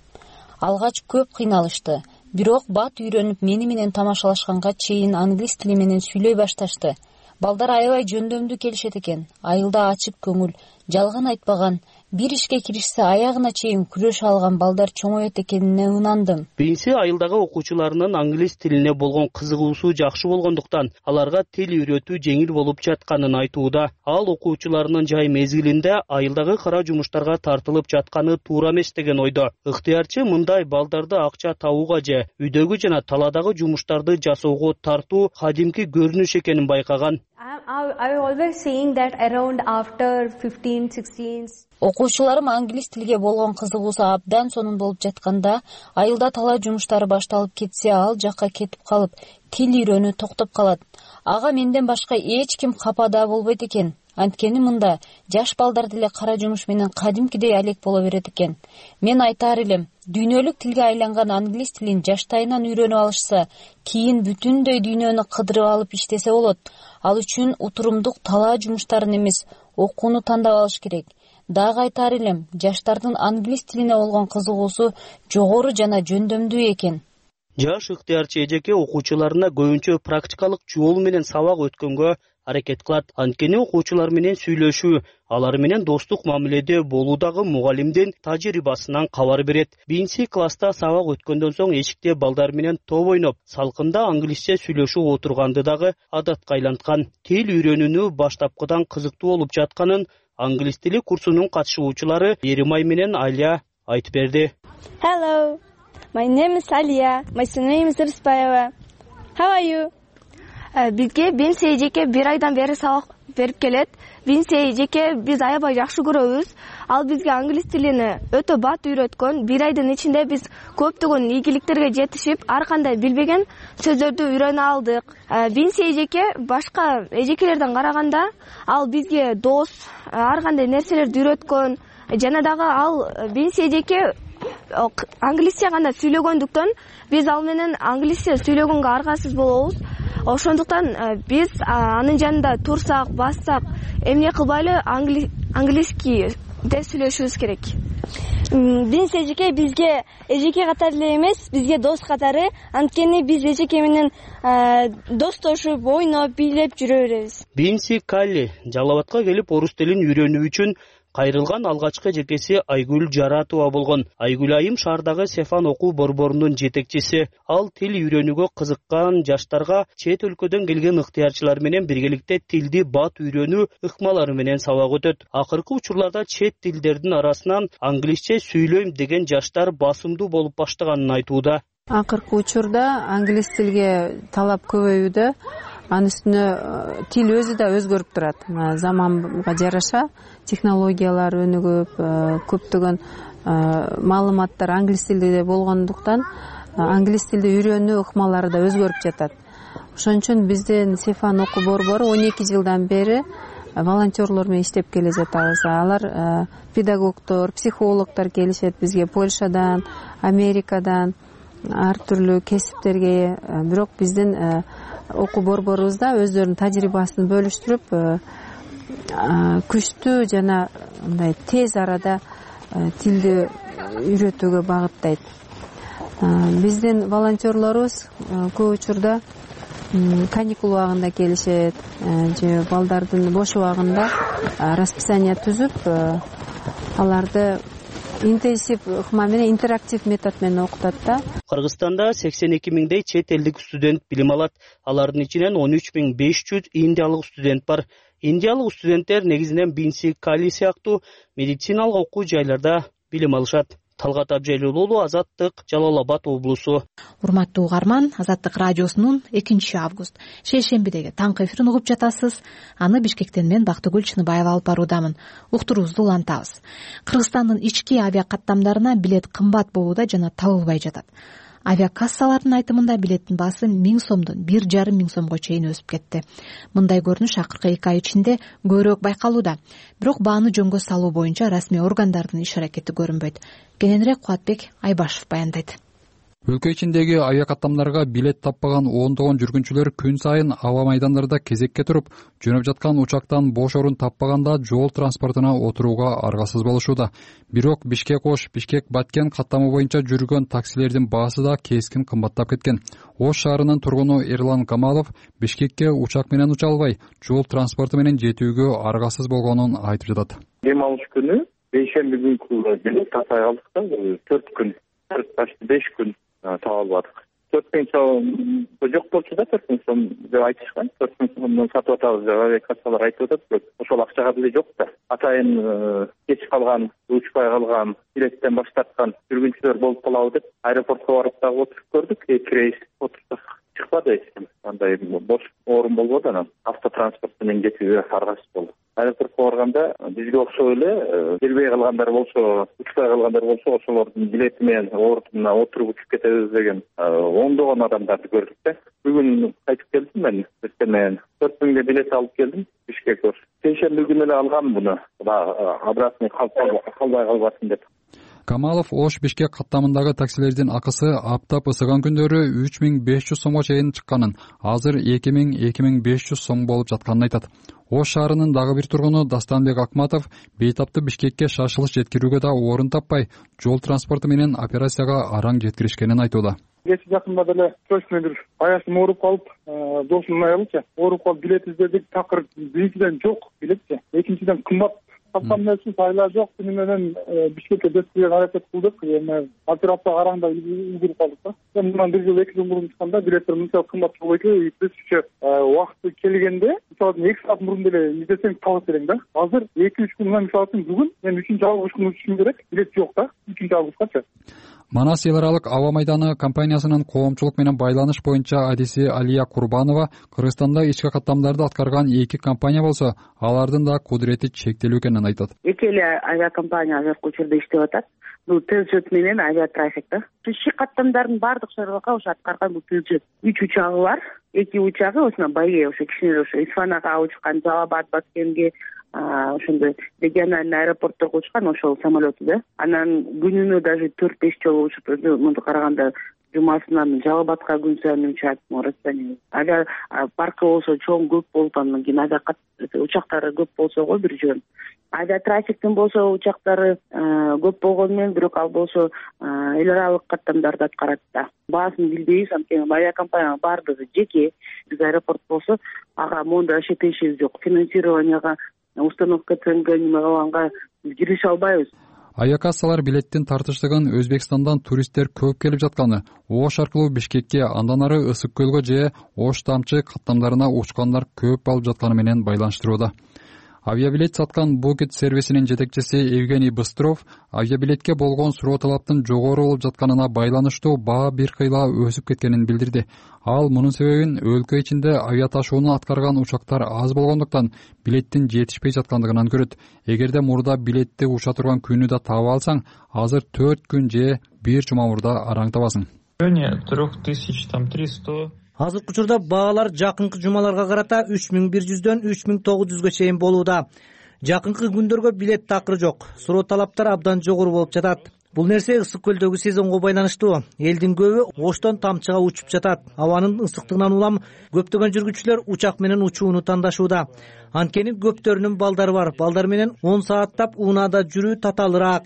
Speaker 17: Алгач көп кыйналышты. Бирок бат үйрөнүп мени менен тамашалашканга чейин англис тили менен сүйлөй башташты. Балдар аябай жөндөмдүү келишет экен. Айылда ачык көңүл, жалган айтпаган, бир ишке киришсе аягына чейин күрөшө алган балдар чоңоет экенине ынандым.
Speaker 18: Бинси айылдагы окуучуларынын англис тилине болгон кызыгуусу жакшы болгондуктан аларга тил үйрөтүү жеңил болуп жатканын айтууда. Ал окуучуларынын жай мезгилинде айылдагы кара жумуштарга тартылып жатканы туура эмес деген ойдо. Ыктыярчы мындай балдарды акча табууга же үйдөгү жана таладагы жумуштарды жасоого тартуу кадимки көрүнүш экенин байкаган.
Speaker 17: Окуучуларым англис тилге болгон кызыгуусу абдан сонун болуп жатканда, айылда тала жумуштары башталып кетсе, ал жакка кетип калып, тил үйрөнүү токтоп калат. Ага менден башка эч ким капа да болбойт экен. Анткени мында жаш балдар деле кара жумуш менен кадимкидей алек боло берет экен. Мен айтаар элем, дүйнөлүк тилге айланган англис тилин жаштайынан үйрөнүп алышса, кийин бүтүндөй дүйнөнү кыдырып алып иштесе болот. Ал үчүн утурумдук талаа жумуштарын эмес, окууну тандап алыш керек. Дагы айтаар элем, жаштардын англис тилине болгон кызыгуусу жогору жана жөндөмдүү экен.
Speaker 18: Жаш ыктыярчы эжеке окуучуларына көбүнчө практикалык жол менен сабак өткөнгө аракет кылат. Анткени окуучулар менен сүйлөшүү, алар менен достук мамиледе болуудагы мугалимдин тажрыйбасынан кабар берет. Бинси класста сабак өткөндөн соң эшикте балдар менен топ ойноп, салкында англисче сүйлөшүп отурганды дагы адатка айланткан. Тил үйрөнүүнү баштапкыдан кызыктуу болуп жатканын англис тили курсунун катышуучулары Еримай менен Алия айтып берди.
Speaker 19: Hello, my name is Alia. My surname is Irspayeva. How are you? Бизге Бинси эжеке бир айдан бери сабак берип келет. Бинси эжеке биз аябай жакшы көрөбүз. Ал бизге англис тилини өтө бат үйрөткөн. Бир айдын ичинде биз көптөгөн ийгиликтерге жетишип, ар кандай билбеген сөздөрдү үйрөнө алдык. Бинси эжеке башка эжекелерден караганда ал бизге дос, ар кандай нерселерди үйрөткөн. Жана дагы ал Бинси эжеке англисче гана сүйлөгөндүктөн биз ал менен англисче сүйлөгөнгө аргасыз болобуз. Ошондуктан биз анын жанында турсак, бассак, эмне кылбайлы английский де сүйлөшүбүз керек. Бинси эжеке бизге эжеке катары эле эмес, бизге дос катары. Анткени биз эжеке менен достошуп, ойноп, бийлеп жүрө беребиз.
Speaker 18: Бинси Кали Жалал Абадка келип орус тилин үйрөнүү үчүн кайрылган алгачкы эжекеси Айгүл Жаратова болгон. Айгүл айым шаардагы Сефан окуу борборунун жетекчиси. Ал тил үйрөнүүгө кызыккан жаштарга чет өлкөдөн келген ыктыярчылар менен биргеликте тилди бат үйрөнүү ыкмалары менен сабак өтөт. Акыркы учурларда чет тилдердин арасынан англисче сүйлөйм деген жаштар басымдуу болуп баштаганын айтууда.
Speaker 20: Акыркы учурда англис тилге талап көбөйүүдө. Анын үстүнө тил өзү да өзгөрүп турат. Заманга жараша технологиялар өнүгүп, көптөгөн маалыматтар англис тилинде болгондуктан англис тилди үйрөнүү ыкмалары да өзгөрүп жатат. Ошон үчүн биздин Сефан окуу борбору он эки жылдан бери волонтерлор менен иштеп келе жатабыз. Алар педагогдор, психологдор келишет бизге Польшадан, Америкадан, ар түрлүү кесиптерге. Бирок биздин окуу борборубузда өздөрүнүн тажрыйбасын бөлүштүрүп, күчтүү жана мындай тез арада тилди үйрөтүүгө багыттайт. Биздин волонтерлорубуз көп учурда каникул убагында келишет же балдардын бош убагында расписание түзүп, аларды интенсив ыкма менен, интерактив метод менен окутат да.
Speaker 18: Кыргызстанда сексен эки миңдей чет элдик студент билим алат. Алардын ичинен он үч миң беш жүз индиялык студент бар. Индиялык студенттер негизинен Бинси, Кали сыяктуу медициналык окуу жайларда билим алышат. Талгат Абжайлуулу, Азаттык, Жалал Абад облусу.
Speaker 1: Урматтуу угарман, Азаттык радиосунун экинчи август шейшембидеги таңкы эфирин угуп жатасыз. Аны Бишкектен мен Бактыгүл Чыныбаева алып баруудамын. Уктуруубузду улантабыз. Кыргызстандын ички авиакаттамдарына билет кымбат болууда жана табылбай жатат. Авиакассалардын айтымында билеттин баасы миң сомдон бир жарым миң сомго чейин өсүп кетти. Мындай көрүнүш акыркы эки ай ичинде көбүрөөк байкалууда. Бирок бааны жөнгө салуу боюнча расмий органдардын иш аракети көрүнбөйт. Кененирээк Кубатбек Айбашев баяндайт.
Speaker 21: Өлкө ичиндеги авиакаттамдарга билет таппаган ондогон жүргүнчүлөр күн сайын аба майдандарда кезекке туруп, жөнөп жаткан учактан бош орун таппаганда жол транспортуна отурууга аргасыз болушууда. Бирок Бишкек-Ош, Бишкек-Баткен каттамы боюнча жүргөн таксилердин баасы да кескин кымбаттап кеткен. Ош шаарынын тургуну Эрлан Камалов Бишкекке учак менен уча албай, жол транспорту менен жетүүгө аргасыз болгонун айтып жатат.
Speaker 3: Дем алыш күнү бейшемби күнкү билет таппай калдык да, төрт күн, почти беш күн таап албадык. төрт миң сом жок болчу да, төрт миң сом деп айтышкан. төрт миң сомдон сатып атабыз деп авиакассалар айтып атат, бирок ошол акчага деле жок да. Атайын кеч калган, учпай калган, билеттен баш тарткан жүргүнчүлөр болуп калабы деп аэропортко барып дагы отуруп көрдүк. Эки рейс отурсак чыкпады эч ким. Андай бош орун болбоду, анан автотранспорт менен кетүүгө аргасыз болду. Аэропортко барганда бизге окшоп эле келбей калгандар болсо, учпай калгандар болсо, ошолордун билети менен ордуна отуруп учуп кетебиз деген ондогон адамдарды көрдүк да. Бүгүн кайтып келдим мен, эртең менен төрт миңге билет алып келдим Бишкекке. Сейшемби күнү эле алгам буну, обратный калбай калбасын деп.
Speaker 21: Камалов Ош Бишкек каттамындагы таксилердин акысы аптап ысыган күндөрү үч миң беш жүз сомго чейин чыкканын, азыр эки миң — эки миң беш жүз сом болуп жатканын айтат. Ош шаарынын дагы бир тургуну Дастанбек Акматов бейтапты Бишкекке шашылыш жеткирүүгө да орун таппай, жол транспорту менен операцияга араң жеткиришкенин айтууда.
Speaker 22: Кечээ жакында деле срочный бир аяшым ооруп калып, досумдун аялычы ооруп калып билет издедик, такыр биринчиден жок билетчи, экинчиден кымбат. Каттам үчүн сайла жок, түнү менен Бишкекке жеткирүүгө аракет кылдык, эми операция караңда үлгүрүп калдык да. Мындан бир жыл, эки жыл мурун чыкканда билеттер мынча кымбат болбойт экен, биз ушо убакыты келгенде, мисалы эки саат мурун деле издесең табат элең да. Азыр эки үч күн, мисалы үчүн бүгүн мен үчүнчү августун учушум керек, билет жок да, үчүнчү августча.
Speaker 21: Манас эл аралык аба майданы компаниясынын коомчулук менен байланыш боюнча адиси Алия Курбанова Кыргызстанда ички каттамдарды аткарган эки компания болсо, алардын да кудурети чектелүү экенин айтат.
Speaker 23: Эки эле авиакомпания азыркы учурда иштеп атат. Бул Телжет менен авиатрафик да. Ички каттамдардын баардык шаруага ошо аткарган бул Телжет. үч учагы бар. Эки учагы ошо Байге, ошо кичине ошо Исфанага учкан, Жалабад, Баткенге, ошондой региональный аэропортторго учкан ошол самолету да. Анан күнүнө даже төрт беш жолу учуп, мындай караганда жумасынан Жалабадка күн сайын учат, расписание. Агар паркы болсо чоң көп болуп, андан кийин авиа учактары көп болсо го бир жөн. Авиатрафиктин болсо учактары көп болгону менен, бирок ал болсо эл аралык каттамдарды аткарат да. Баасын билбейбиз, анткени авиакомпания баардыгы жеке. Биз аэропорт болсо ага моундай вообще тиешеси жок. Финансированияга, установка ценга неме кылганга кирише албайбыз.
Speaker 21: Авиакассалар билеттин тартыштыгын Өзбекстандан туристтер көп келип жатканы, Ош аркылуу Бишкекке, андан ары Ысык көлгө же Ош Тамчы каттамдарына учкандар көп алып жатканы менен байланыштырууда. Авиабилет саткан Букет сервисинин жетекчиси Евгений Быстров авиабилетке болгон суроо талаптын жогору болуп жатканына байланыштуу баа бир кыйла өсүп кеткенин билдирди. Ал мунун себебин өлкө ичинде авиа ташууну аткарган учактар аз болгондуктан билеттин жетишпей жаткандыгынан көрөт. Эгерде мурда билетти уча турган күнү да таба алсаң, азыр төрт күн же бир жума мурда араң табасың.
Speaker 2: трех тысяч там триста.
Speaker 5: Азыркы учурда баалар жакынкы жумаларга карата үч миң бир жүздөн үч миң тогуз жүзгө чейин болууда. Жакынкы күндөргө билет такыры жок. Суроо талаптар абдан жогору болуп жатат. Бул нерсе ысык көлдөгү сезонго байланыштуу. Элдин көбү Оштон Тамчыга учуп жатат. Абанын ысыктыгынан улам көптөгөн жүргүчүлөр учак менен учууну тандашууда. Анткени көптөрүнүн балдары бар. Балдар менен он сааттап унаада жүрүү татаалыраак.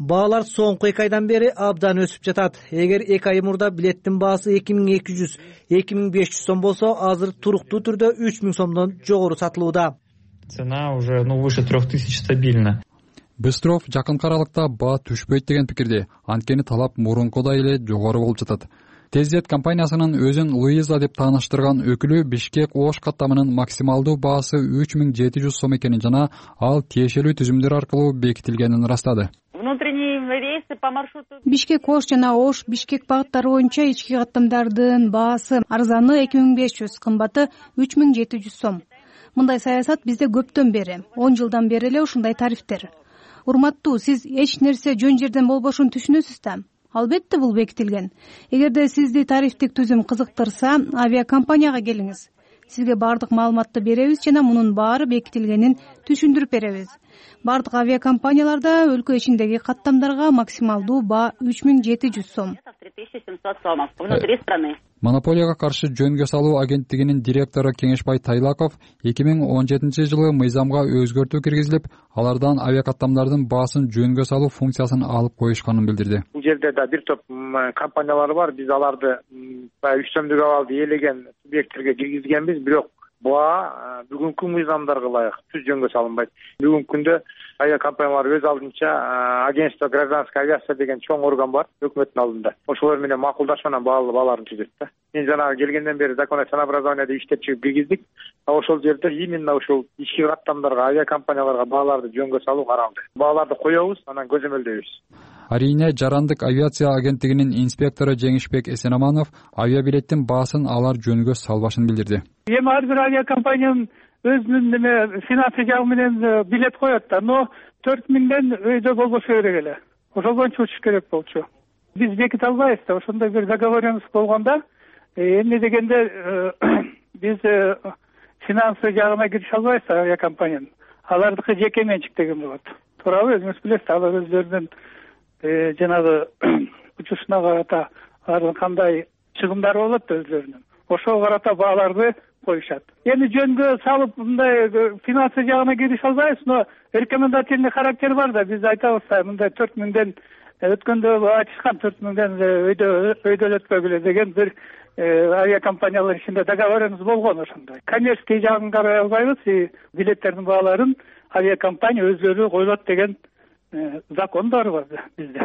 Speaker 5: Баалар соңку эки айдан бери абдан өсүп жатат. Эгер эки ай мурда билеттин баасы эки миң эки жүз эки миң беш жүз сом болсо, азыр туруктуу түрдө үч миң сомдон жогору сатылууда.
Speaker 2: Цена уже ну выше трех тысяч стабильно.
Speaker 21: Быстров жакынкы аралыкта баа түшпөйт деген пикирде. Анткени талап мурункудай эле жогору болуп жатат. Тезжет компаниясынын өзүн Луиза деп тааныштырган өкүлү Бишкек Ош каттамынын максималдуу баасы үч миң жети жүз сом экенин жана ал тиешелүү түзүмдөр аркылуу бекитилгенин ырастады.
Speaker 8: Бишкек Ош жана Ош Бишкек багыттары боюнча ички каттамдардын баасы арзаны эки миң беш жүз, кымбаты үч миң жети жүз сом. Мындай саясат бизде көптөн бери, он жылдан бери эле ушундай тарифтер. Урматтуу, сиз эч нерсе жөн жерден болбошун түшүнөсүз да? Албетте бул бекитилген. Эгерде сизди тарифтик түзүм кызыктырса, авиакомпанияга келиңиз. Сизге баардык маалыматты беребиз жана мунун баары бекитилгенин түшүндүрүп беребиз. Баардык авиакомпанияларда өлкө ичиндеги каттамдарга максималдуу баа үч миң жети жүз сом.
Speaker 21: Монополияга каршы жөнгө салуу агенттигинин директору Кеңешбай Тайлаков эки миң он жетинчи жылы мыйзамга өзгөртүү киргизилип, алардан авиакаттамдардын баасын жөнгө салуу функциясын алып коюшканын билдирди.
Speaker 13: Бул жерде да бир топ компаниялар бар. Биз аларды баягы үчтөмдүк абалды ээлеген субъекттерге киргизгенбиз, бирок баа бүгүнкү мыйзамдарга ылайык түз жөнгө салынбайт. Бүгүнкү күндө авиакомпаниялар өз алдынча агентство гражданской авиация деген чоң орган бар өкмөттүн алдында. Ошолор менен макулдашуу менен бааларын түзөт да. Мен жанагы келгенден бери законное ценообразованияда иштеп чыгып киргиздик. Ошол жерде именно ушул ички каттамдарга авиакомпанияларга бааларды жөнгө салуу каралды. Бааларды коебуз, анан көзөмөлдөйбүз.
Speaker 21: Арийне Жарандык авиация агенттигинин инспектору Жеңишбек Эсенаманов авиабилеттин баасын алар жөнгө салбашын билдирди.
Speaker 24: Эми ар бир авиакомпаниянын өзүнүн неме финансы жагы менен билет коет да, но төрт миңден өйдө болбошу керек эле. Ошол боюнча учуш керек болчу. Биз беките албайбыз да, ошондой бир договоренность болгондо, эмне дегенде биз финансы жагына кирише албайбыз авиакомпаниянын. Алардыкы жеке менчик деген болот. Туурабы, өзүңүз билесиз, алар өздөрүнүн жанагы учушуна карата алардын кандай чыгымдары болот өздөрүнүн. Ошого карата бааларды коюшат. Эми жөнгө салып мындай финансы жагына кирише албайбыз, но рекомендательный характер бар да, биз айтабыз да, мындай төрт миңден өткөндө айтышкан төрт миңден өйдө өйдөлөткөгүлө деген бир авиакомпаниялар ичинде договоренность болгон ошондой. Коммерческий жагын карай албайбыз, билеттердин бааларын авиакомпания өздөрү койлот деген закон бар бизде.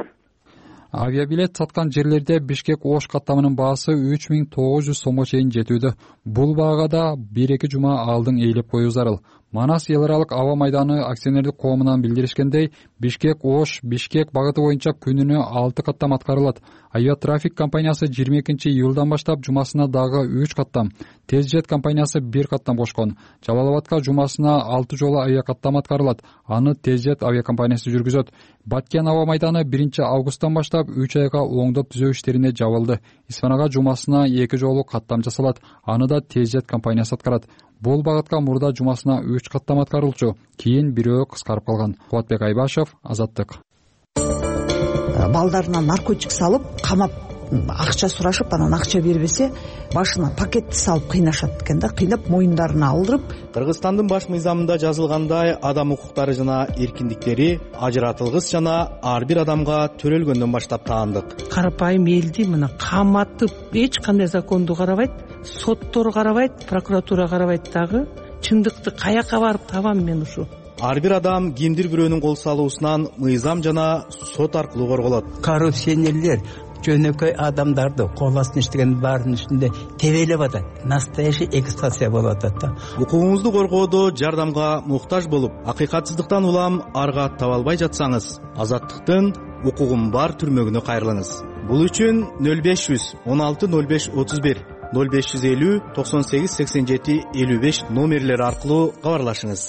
Speaker 21: Авиабилет саткан жерлерде Бишкек Ош каттамынын баасы үч миң тогуз жүз сомго чейин жетүүдө. Бул баага да бир эки жума алдын ээлеп коюу зарыл. Манас эл аралык аба майданы акционердик коомунан билдиришкендей, Бишкек Ош Бишкек багыты боюнча күнүнө алты каттам аткарылат. Авиатрафик компаниясы жыйырма экинчи июлдан баштап жумасына дагы үч каттам, Тезжет компаниясы бир каттам кошкон. Жалал Абадка жумасына алты жолу авиакаттам аткарылат. Аны Тезжет авиакомпаниясы жүргүзөт. Баткен аба майданы биринчи августтан баштап үч айга оңдоп түзөө иштерине жабылды. Исфанага жумасына эки жолу каттам жасалат. Аны да Тезжет компаниясы аткарат. Бул багытка мурда жумасына үч каттам аткарылчу, кийин бирөө кыскарып калган. Кубатбек Айбашев, Азаттык.
Speaker 25: Балдарына наркотик салып, камап, акча сурашып, анан акча бербесе, башына пакетти салып кыйнашат экен да, кыйнап моюндарына алдырып.
Speaker 26: Кыргызстандын баш мыйзамында жазылгандай, адам укуктары жана эркиндиктери ажыратылгыс жана ар бир адамга төрөлгөндөн баштап таандык.
Speaker 27: Карапайым элди мына каматып, эч кандай законду карабайт, соттор карабайт, прокуратура карабайт дагы. Чындыкты каяка барып табам мен ушу?
Speaker 26: Ар бир адам кимдир бирөөнүн кол салуусунан мыйзам жана сот аркылуу корголот.
Speaker 28: Коррупционерлер жөнөкөй адамдарды кол астына иштеген баарынын үстүндө тебелеп атат. Настоящий эксплуатация болуп атат да.
Speaker 26: Укугуңузду коргоодо жардамга муктаж болуп, акыйкатсыздыктан улам арга таба албай жатсаңыз, Азаттыктын укугум бар түрмөгүнө кайрылыңыз. Бул үчүн нөл беш жүз он алты нөл беш отуз бир, нөл беш жүз элүү токсон сегиз сексен жети элүү беш номерлери аркылуу кабарлашыңыз.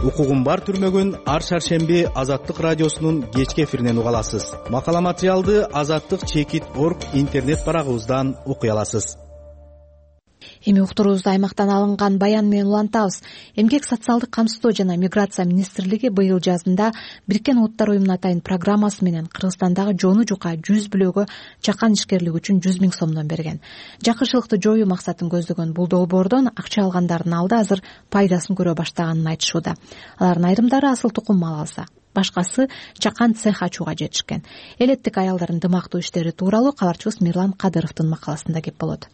Speaker 26: Укугум бар түрмөгүн ар шаршемби Азаттык радиосунун кечки эфиринен уга аласыз. Макала материалды Азаттык чекит точка орг интернет барагыбыздан окуй аласыз.
Speaker 1: Эми уктуруубузду аймактан алынган баян менен улантабыз. Эмгек социалдык камсыздоо жана миграция министрлиги быйыл жазында Бириккен Улуттар уюмунун атайын программасы менен Кыргызстандагы жоону жука жүз бүлөгө чакан ишкерлик үчүн жүз миң сомдон берген. Жакырчылыкты жоюу максатын көздөгөн бул долбоордон акча алгандардын алды азыр пайдасын көрө баштаганын айтышууда. Алардын айрымдары асыл тукум мал алса, башкасы чакан цех ачууга жетишкен. Элеттик аялдардын дымактуу иштери тууралуу кабарчыбыз Мирлан Кадыровдун макаласында кеп болот.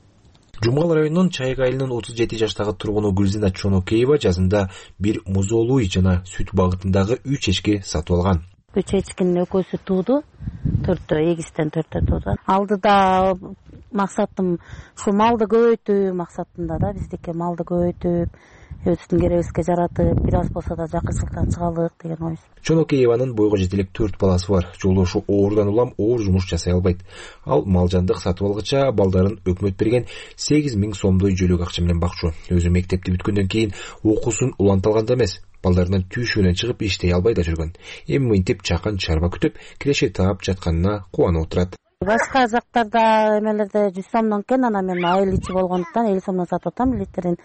Speaker 4: Жумгал районунун Чайык айылынын отуз жети жаштагы тургуну Гүлзина Чонокеева жазында бир музоолуй жана сүт багытындагы үч эчки сатып алган.
Speaker 6: Үч эчкинин экөөсү тууду, төртөө эгизден төртөө тууду. Алдыда максатым ушу малды көбөйтүү максатында да, биздики малды көбөйтүп, өзүбүздүн керегибизге жаратып, бир аз болсо да жакырчылыктан чыгалык деген ой.
Speaker 4: Чонокееванын бойго жетелек төрт баласы бар. Жолдошу оорудан улам оор жумуш жасай албайт. Ал малжандык сатып алгыча балдарын өкмөт берген сегиз миң сомдой жөлөк акча менен бакчу. Өзү мектепти бүткөндөн кийин окуусун уланта алганда эмес, балдарынан түйшүүнөн чыгып иштей албай да жүргөн. Эми мынтип чакан чарба күтүп, киреше таап жатканына кубанып отурат.
Speaker 6: Башка жактарда эмелерде жүз сомдон кен, анан мен айыл ичи болгондуктан элүү сомдон сатып атам. Литрин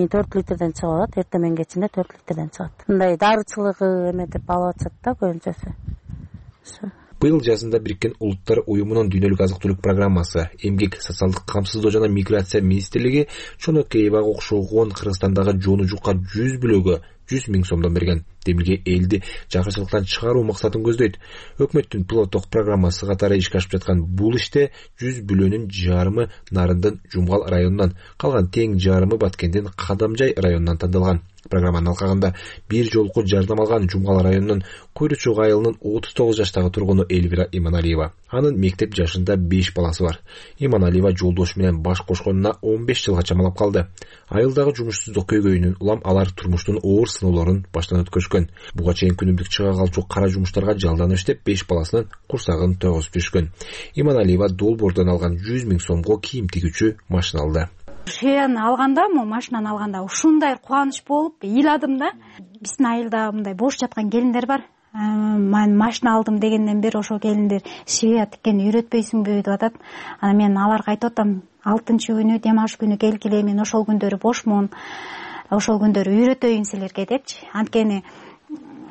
Speaker 6: төрт литрден чыгып атат, эртең менен кечинде төрт литрден чыгат. Мындай дарычылыгы эметип алып атышат да көбүнчөсү.
Speaker 4: Быйыл жазында Бириккен Улуттар уюмунун дүйнөлүк азык-түлүк программасы, эмгек, социалдык камсыздоо жана миграция министрлиги Чонокеевага окшогон Кыргызстандагы жоону жука жүз бүлөгө жүз миң сомдон берген. Демилге элди жакырчылыктан чыгаруу максатын көздөйт. Өкмөттүн пилоттук программасы катары ишке ашып жаткан бул иште жүз бүлөнүн жарымы Нарындын Жумгал районунан, калган тең жарымы Баткендин Кадамжай районунан тандалган. Программаны алкагында бир жолку жардам алган Жумгал районунун Куйручук айылынын отуз тогуз жаштагы тургуну Элвира Иманалиева. Анын мектеп жашында беш баласы бар. Иманалиева жолдошу менен баш кошконуна он беш жылга чамалап калды. Айылдагы жумушсуздук көйгөйүнөн улам алар турмуштун оор сыноолорун баштан өткөрүшкөн. Буга чейин күнүмдүк чыга калчу кара жумуштарга жалданып иштеп беш баласынын курсагын тойгузуп жүрүшкөн. Иманалиева долбоордон алган жүз миң сомго кийим тигүүчү машина алды.
Speaker 8: Шеяны алганда, мо машинаны алганда ушундай кубаныч болуп ыйладым да. Биздин айылда мындай бош жаткан келиндер бар. Мен машина алдым дегенден бери ошо келиндер шея тиккени үйрөтпөйсүңбү деп атат. Анан мен аларга айтып атам, алтынчы күнү дем алыш күнү келгиле, мен ошол күндөрү бошмун. Ошол күндөрү үйрөтөйүн силерге депчи. Анткени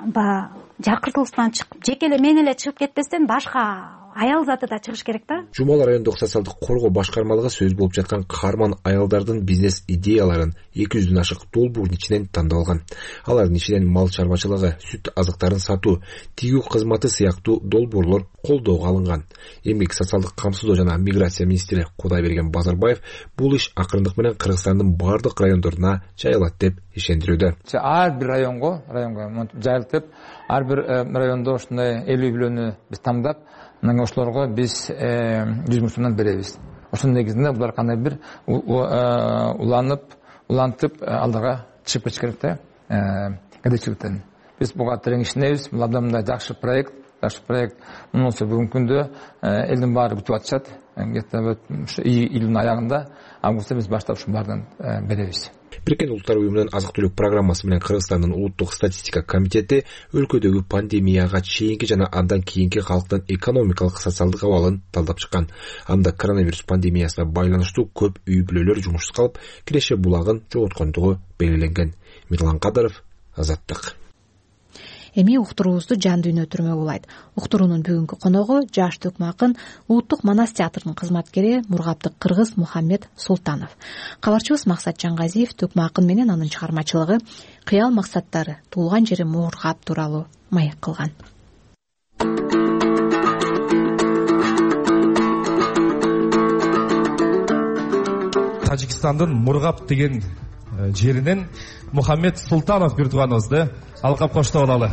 Speaker 8: ба жакыртылыштан чыгып, жеке эле мен эле чыгып кетпестен башка аял заты да чыгыш керек да.
Speaker 4: Жумгал райондук социалдык коргоо башкармалыгы сөз болуп жаткан каарман аялдардын бизнес идеяларын эки жүздөн ашык долбоордун ичинен тандап алган. Алардын ичинен мал чарбачылыгы, сүт азыктарын сатуу, тигүү кызматы сыяктуу долбоорлор колдоого алынган. Эмгек, социалдык камсыздоо жана миграция министри Кудайберген Базарбаев бул иш акырындык менен Кыргызстандын бардык райондоруна жайылат деп ишендирүүдө.
Speaker 7: Ар бир районго, районго жайылтып, ар бир райондо ушундай элүү бүлөнү биз тандап, мына ошолорго биз жүз миң сомдон беребиз. Ошонун негизинде булар кандай бир уланып, улантып алдыга чыгып кетиш керек да, кедейчиликтен. Биз буга терең ишенебиз. Бул абдан жакшы проект, жакшы проект. Мунусу бүгүнкү күндө элдин баары бүтүп атышат. Где-то ушу июлдун аягында, августта биз баштап ушун баарынан беребиз.
Speaker 4: Бириккен Улуттар уюмунун азык-түлүк программасы менен Кыргызстандын улуттук статистика комитети өлкөдөгү пандемияга чейинки жана андан кийинки калктын экономикалык социалдык абалын талдап чыккан. Анда коронавирус пандемиясына байланыштуу көп үй бүлөлөр жумушсуз калып, киреше булагын жоготкондугу белгиленген. Мирлан Кадыров, Азаттык.
Speaker 1: Эми уктуруубузду жан дүйнө түрмөгү улайт. Уктуруунун бүгүнкү коногу жаш төкмө акын, Улуттук Манас театрынын кызматкери Мургаптык кыргыз Мухаммед Султанов. Кабарчыбыз Максат Жангазиев төкмө акын менен анын чыгармачылыгы, кыял максаттары, туулган жери Мургап тууралуу маек кылган.
Speaker 9: Тажикстандын Мургап деген жеринен Мухаммед Султанов бир тууганыбызды алкап коштоп алалы.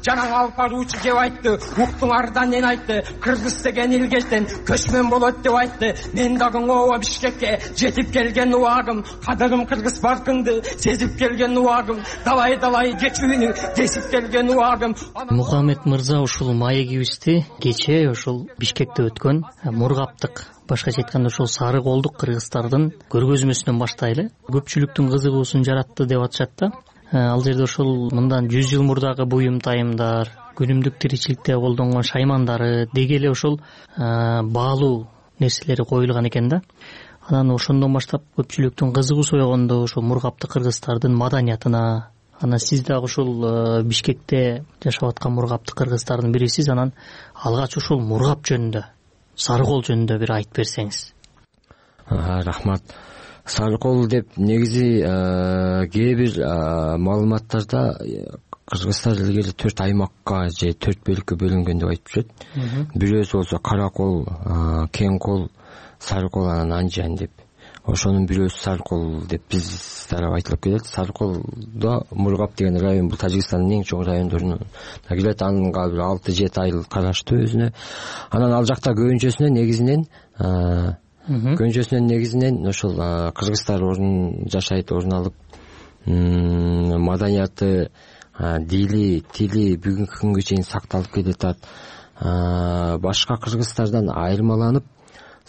Speaker 10: Жанагы алып баруучу кеп айтты, уктуңардан мен айтты, кыргыз деген илгелден көчмөн болот деп айтты. Мен дагы ооба Бишкекке жетип келген убагым, кадырым кыргыз баркыңды сезип келген убагым, далай-далай кечүүнү десип келген убагым.
Speaker 11: Мухаммед мырза ушул маегибизди кечээ ушул Бишкекте өткөн Мургаптык, башкача айтканда ошол сары колдук кыргыздардын көргөзмөсүнөн баштайлы. Көпчүлүктүн кызыгуусун жаратты деп атышат да. ал жерде ошол мындан жүз жыл мурдагы буюм тайымдар, күнүмдүк тиричиликте колдонгон шаймандары деги эле ошол баалуу нерселери коюлган экен да. Анан ошондон баштап көпчүлүктүн кызыгуусу ойгондо ошо мургапты кыргыздардын маданиятына. Анан сиз дагы ушул Бишкекте жашап аткан мургапты кыргыздардын бирисиз. Анан алгач ушул мургап жөнүндө, Сарыкол жөнүндө бир айтып берсеңиз.
Speaker 12: Рахмат. Сарыкол деп негизи кээ бир маалыматтарда Кыргызстан илгери төрт аймакка же төрт бөлүккө бөлүнгөн деп айтып жүрөт. Бирөөсү болсо Каракол, Кең кол, Сарыкол, анан Анжан деп. Ошонун бирөөсү Сарыкол деп биз тарап айтылып келет. Сарыколдо Мургап деген район бул Тажикстандын эң чоң райондорунун кирет. Анга бир алты жети айыл караштуу өзүнө. Анан ал жакта көбүнчөсүнө негизинен көбүнчөсүнөн негизинен ошол кыргыздар орун жашайт, орун алып, маданияты, дили, тили бүгүнкү күнгө чейин сакталып келатат. Башка кыргыздардан айырмаланып,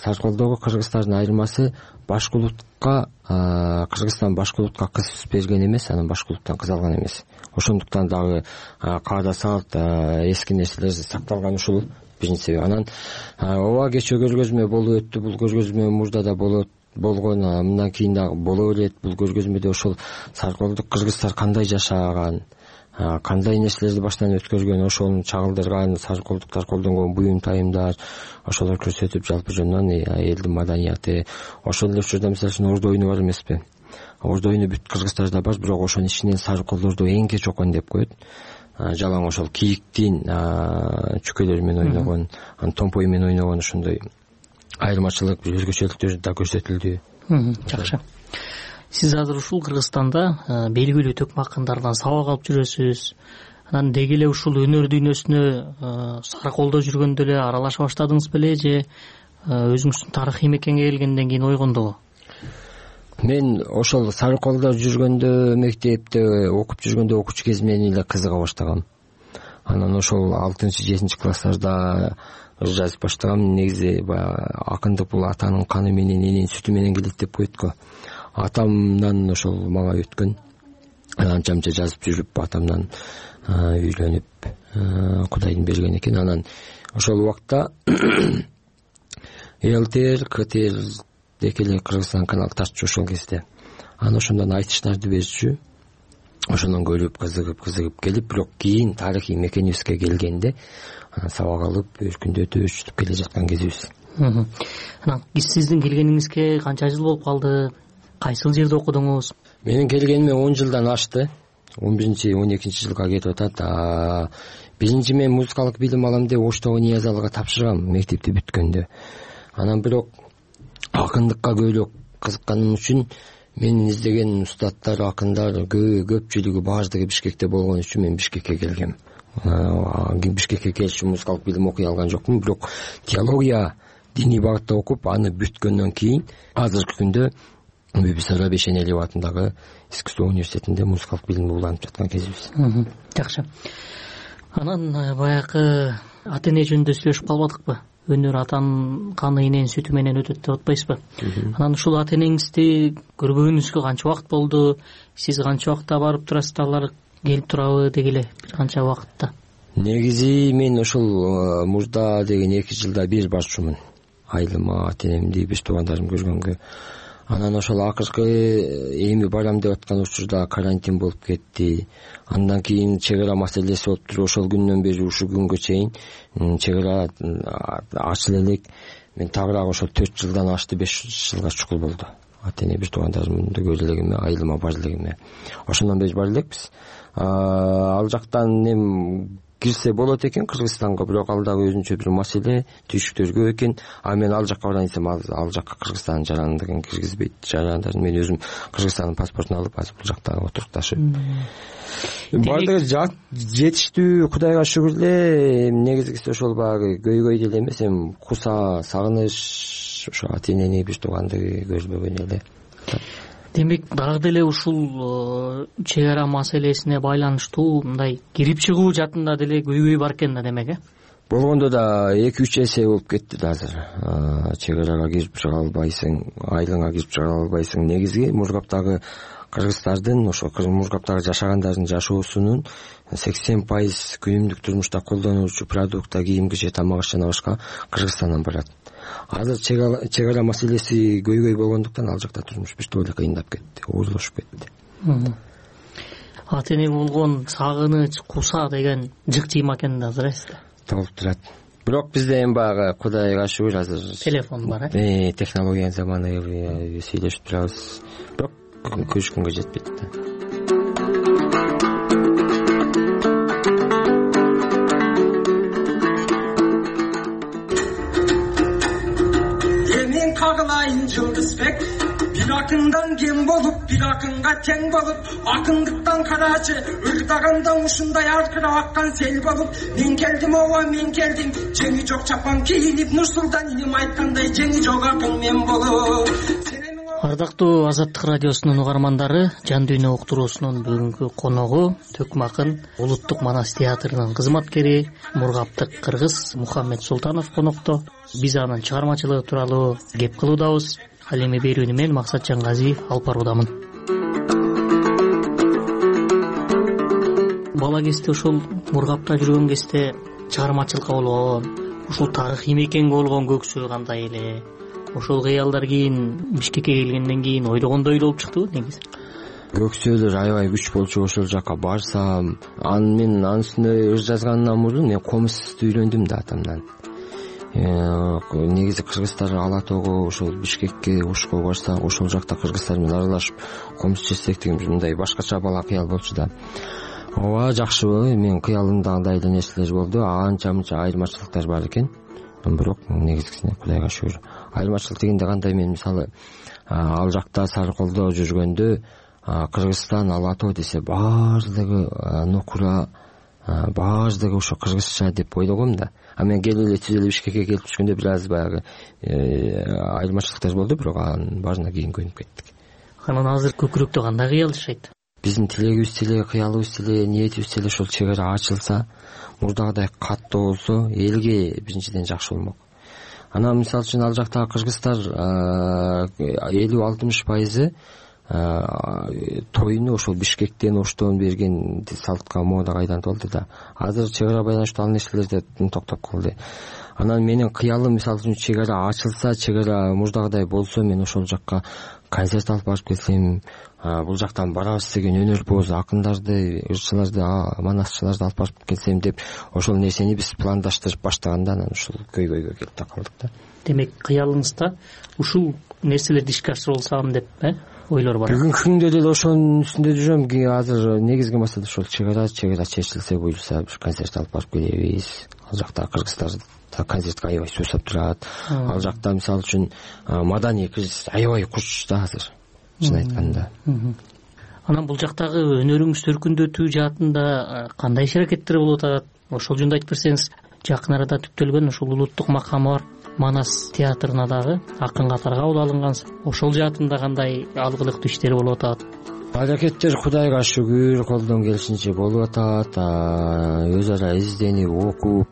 Speaker 12: Сарыколдогу кыргыздардын айырмасы башкулутка, Кыргызстан башкулутка кыз берген эмес, анан башкулуттан кыз алган эмес. Ошондуктан дагы каада салт, эски нерселер сакталган ушул биринчи себеп. Анан ооба кечээ көргөзмө болуп өттү, бул көргөзмө мурда да болот болгон, мындан кийин дагы боло берет. Бул көргөзмөдө ошол Сарыколдук кыргыздар кандай жашаган, кандай нерселерди баштан өткөргөн, ошону чагылдырган, сарыколдуктар колдонгон буюм тайымдар, ошолор көрсөтүп, жалпы жөнүнөн элдин маданияты. Ошол эле учурда мисалы үчүн орду оюну бар эмеспи? Орду оюну бүт кыргыздарда бар, бирок ошонун ичинен сарыколдорду эң кеч окон деп коет. Жалаң ошол кийиктин чүкөлөрү менен ойногон, анан томпой менен ойногон ошондой айырмачылык, бир өзгөчөлүктөр да көрсөтүлдү.
Speaker 11: Жакшы. Сиз азыр ушул Кыргызстанда белгилүү төкмө акындардан сабак алып жүрөсүз. Анан деги эле ушул өнөр дүйнөсүнө Сарыколдо жүргөндө эле аралаша баштадыңыз беле же өзүңүздүн тарыхый мекенге келгенден кийин ойгондобу?
Speaker 12: Мен ошол Сарыколдо жүргөндө, мектепте окуп жүргөндө окуучу кезимден эле кызыга баштагам. Анан ошол алтынчы жетинчи класстарда жазып баштагам. Негизи акындык бул атанын каны менен, эненин сүтү менен келет деп коет го. Атамдан ошол мага өткөн. Анча мынча жазып жүрүп, атамдан үйлөнүп, Кудайдын берген экен. Анан ошол убакта ЛТР, КТР декеле Кыргызстан канал тартчу ошол кезде. Анан ошондон айтыштарды берчү. Ошондон көрүп, кызыгып, кызыгып келип, бирок кийин тарыхый мекенибизге келгенде сабак алып, өркүндөтүп, өчүтүп келе жаткан кезибиз.
Speaker 11: Анан сиздин келгениңизге канча жыл болуп калды? Кайсыл жерде окудуңуз?
Speaker 12: Менин келгениме он жылдан ашты. он биринчи он экинчи жылга кетип атат. Биринчи мен музыкалык билим алам деп Оштогу Ниязалыга тапшыргам мектепти бүткөндө. Анан бирок акындыкка көбүрөөк кызыкканым үчүн менин издеген устаттар, акындар көпчүлүгү, баардыгы Бишкекте болгон үчүн мен Бишкекке келгем. Бишкекке келишим музыкалык билим окуй алган жокмун, бирок теология, диний багытта окуп, аны бүткөндөн кийин азыркы күндө Бибисара Бешенелиев атындагы искусство университетинде музыкалык билимди уланып жаткан кезибиз.
Speaker 11: Жакшы. Анан баягы ата эне жөнүндө сүйлөшүп калбадыкпы? Өнөр атанын каны, эненин сүтү менен өтөт деп атпайсызбы? Анан ушул ата энеңизди көрбөгөнүңүзгө канча убакыт болду? Сиз канча убакытта барып турасыз, алар келип турабы деги эле бир канча убакытта?
Speaker 12: Негизи мен ошол мурда деген эки жылда бир барчумун. Айылыма, ата энемди, беш туугандарым көргөнгө. Анан ошол акыркы эми барам деп аткан учурда карантин болуп кетти. Андан кийин чек ара маселеси болуп туруп, ошол күндөн бери ушул күнгө чейин чек ара ачыла элек. Мен тагыраак ошол төрт жылдан ашты, беш жылга чукул болду. Ата эне бир туугандарымды көрө элегиме, айылыма бара элегиме. Ошондон бери бара элекпиз. Ал жактан эми кирсе болот экен Кыргызстанга, бирок ал дагы өзүнчө бир маселе, түйшүктөргө экен. А мен ал жакка барайын десем, ал жакка Кыргызстандын жарандыгын киргизбейт. Жарандарын мен өзүм Кыргызстандын паспортун алып, азыр бул жакта отурукташып. Бардыгы жетиштүү, Кудайга шүгүр эле. Негизгиси ошол баягы көйгөй деле эмес, эми куса, сагыныч, ошо ата энени, бир тууганды көрбөгөн эле.
Speaker 11: Демек, дагы деле ушул чек ара маселесине байланыштуу мындай кирип чыгуу жатында деле көйгөй бар экен да, демек, э?
Speaker 12: болгондо да эки үч эсе болуп кетти да азыр. Чек арага кирип чыга албайсың, айылыңа кирип чыга албайсың. Негизги Мургаптагы кыргыздардын, ошо Мургаптагы жашагандардын жашоосунун сексен пайыз күнүмдүк турмушта колдонуучу продукта, кийимге же тамак жана башка Кыргызстандан барат. Азыр чек ара маселеси көйгөй болгондуктан ал жакта турмуш бир эле кыйындап кетти, оорлошуп кетти.
Speaker 11: Ата эне болгон сагыныч, куса деген жык жыйма экен да азыр эсте.
Speaker 12: Толуп турат. Бирок бизде эми баягы Кудайга шүгүр азыр
Speaker 11: телефон бар,
Speaker 12: э? Технологиянын заманы, сүйлөшүп турабыз. Бирок көрүшкөнгө жетпейт да.
Speaker 10: Эмин кагылайын Жылдызбек, бир акындан кем болуп, бир акынга тең болуп, акындыктан карачы ырдаганда ушундай аркырап аккан сел болуп, мен келдим, ооба мен келдим, жеңи жок чапан кийинип, Нурсултан иним айткандай, жеңи жок акын мен болуп.
Speaker 11: Ардактуу Азаттык радиосунун угармандары, Жан дүйнө уктуруусунун бүгүнкү коногу Төкмө акын Улуттук Манас театрынын кызматкери, мургаптык кыргыз Мухаммед Султанов конокто. Биз анын чыгармачылыгы тууралуу кеп кылуудабыз. Ал эми берүүнү мен Максат Жангазиев алып баруудамын. Бала кезде ошол Мургапта жүргөн кезде чыгармачылыкка болгон, ушул тарыхый мекенге болгон көксөө кандай эле? Ошол кыялдар кийин Бишкекке келгенден кийин ойлогондой болуп чыктыбы негизи?
Speaker 12: Көксөөлөр аябай күч болчу, ошол жака барсам, аны мен анын үстүнө ыр жазгандан мурун мен комузчулукту үйрөндүм да атамдан. Негизи кыргыздар Ала тоого, ошол Бишкекке, Ошко барса, ошол жакта кыргыздар менен аралашып комуз чечсек деген мындай башкача бала кыял болчу да. Ооба, жакшыбы, мен кыялымда андай эле нерселер болду, анча мынча айырмачылыктар бар экен. Бирок негизгисине Кудайга шүгүр. Айырмачылык дегенде кандай, мен мисалы ал жакта Сарыколдо жүргөндө Кыргызстан, Ала тоо десе баардыгы нокура, баардыгы ошо кыргызча деп ойлогом да. А мен келип эле түз эле Бишкекке келип түшкөндө бир аз баягы айырмачылыктар болду, бирок анын баарына кийин көнүп кеттик.
Speaker 11: Анан азыр көкүрөктө кандай кыял жашайт?
Speaker 12: Биздин тилегибиз деле, кыялыбыз деле, ниетибиз деле ошол чек ара ачылса, мурдагыдай каттуу болсо, элге биринчиден жакшы болмок. Анан мисалы үчүн ал жактагы кыргыздар элүү алтымыш пайызы тоюну ошол Бишкектен, Оштон берген салтка, модага айланып алды да. Азыр чек ара байланыштуу ал нерселерде токтоп калды. Анан менин кыялым мисалы үчүн чек ара ачылса, чек ара мурдагыдай болсо, мен ошол жакка концерт алып барып келсем, бул жактан барабыз деген өнөрпоз акындарды, ырчыларды, манасчыларды алып барып келсем деп ошол нерсени биз пландаштырып баштаганда анан ушул көйгөйгө келип такалдык да.
Speaker 11: Демек кыялыңызда ушул нерселерди ишке ашырып алсам деп э ойлор бар.
Speaker 12: Бүгүнкү күндө деле ошонун үстүндө жүрөм. Азыр негизги маселе ошол чек ара, чек ара чечилсе буюрса бир концерт алып барып келебиз. Ал жакта кыргыздар концертке аябай суусап турат. Ал жакта мисалы үчүн маданий кризис аябай куч да азыр, чын айтканда.
Speaker 11: Анан бул жактагы өнөрүңүз төркүндөтүү жаатында кандай иш аракеттер болуп атат? Ошол жөнүндө айтып берсеңиз. Жакын арада түптөлгөн ушул улуттук макамы бар Манас театрына дагы акын катары кабыл алынгансыз. Ошол жаатында кандай алгылыктуу иштер болуп атат?
Speaker 12: Аракеттер Кудайга шүгүр колдон келишинче болуп атат. Өз ара изденип, окуп,